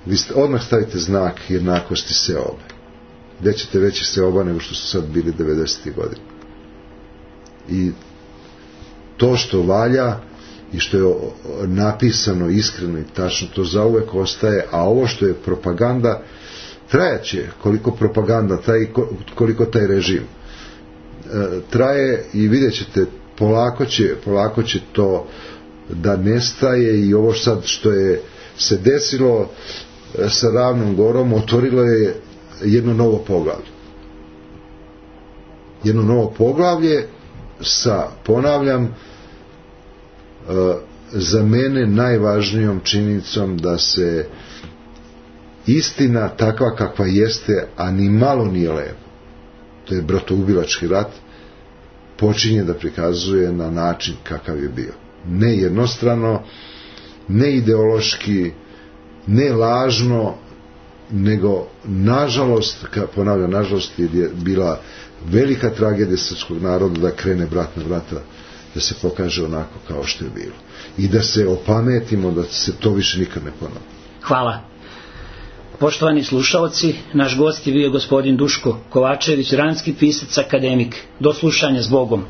vi odmah stavite znak jednakosti seobe. Gde ćete veći seoba nego što su sad bili devedesetih godina. I to što valja i što je napisano iskreno i tačno, to zauvek ostaje, a ovo što je propaganda trajaće koliko propaganda traje, koliko taj režim traje, i vidjet ćete polako će, polako će to da nestaje. I ovo sad što je se desilo sa Ravnom Gorom otvorilo je jedno novo poglavlje. Jedno novo poglavlje sa, ponavljam, za mene najvažnijom činjenicom da se istina takva kakva jeste, a ni malo nije lepo, to je bratoubilački rat, počinje da prikazuje na način kakav je bio. Ne jednostrano, ne ideološki, ne lažno, nego nažalost, ponavljam, nažalost je bila velika tragedija srpskog naroda da krene brat na brata, da se pokaže onako kao što je bilo. I da se opametimo da se to više nikad ne ponovi. Hvala. Poštovani slušalci, naš gost je bio gospodin Duško Kovačević, vranski pisac, akademik. Do slušanja, s Bogom.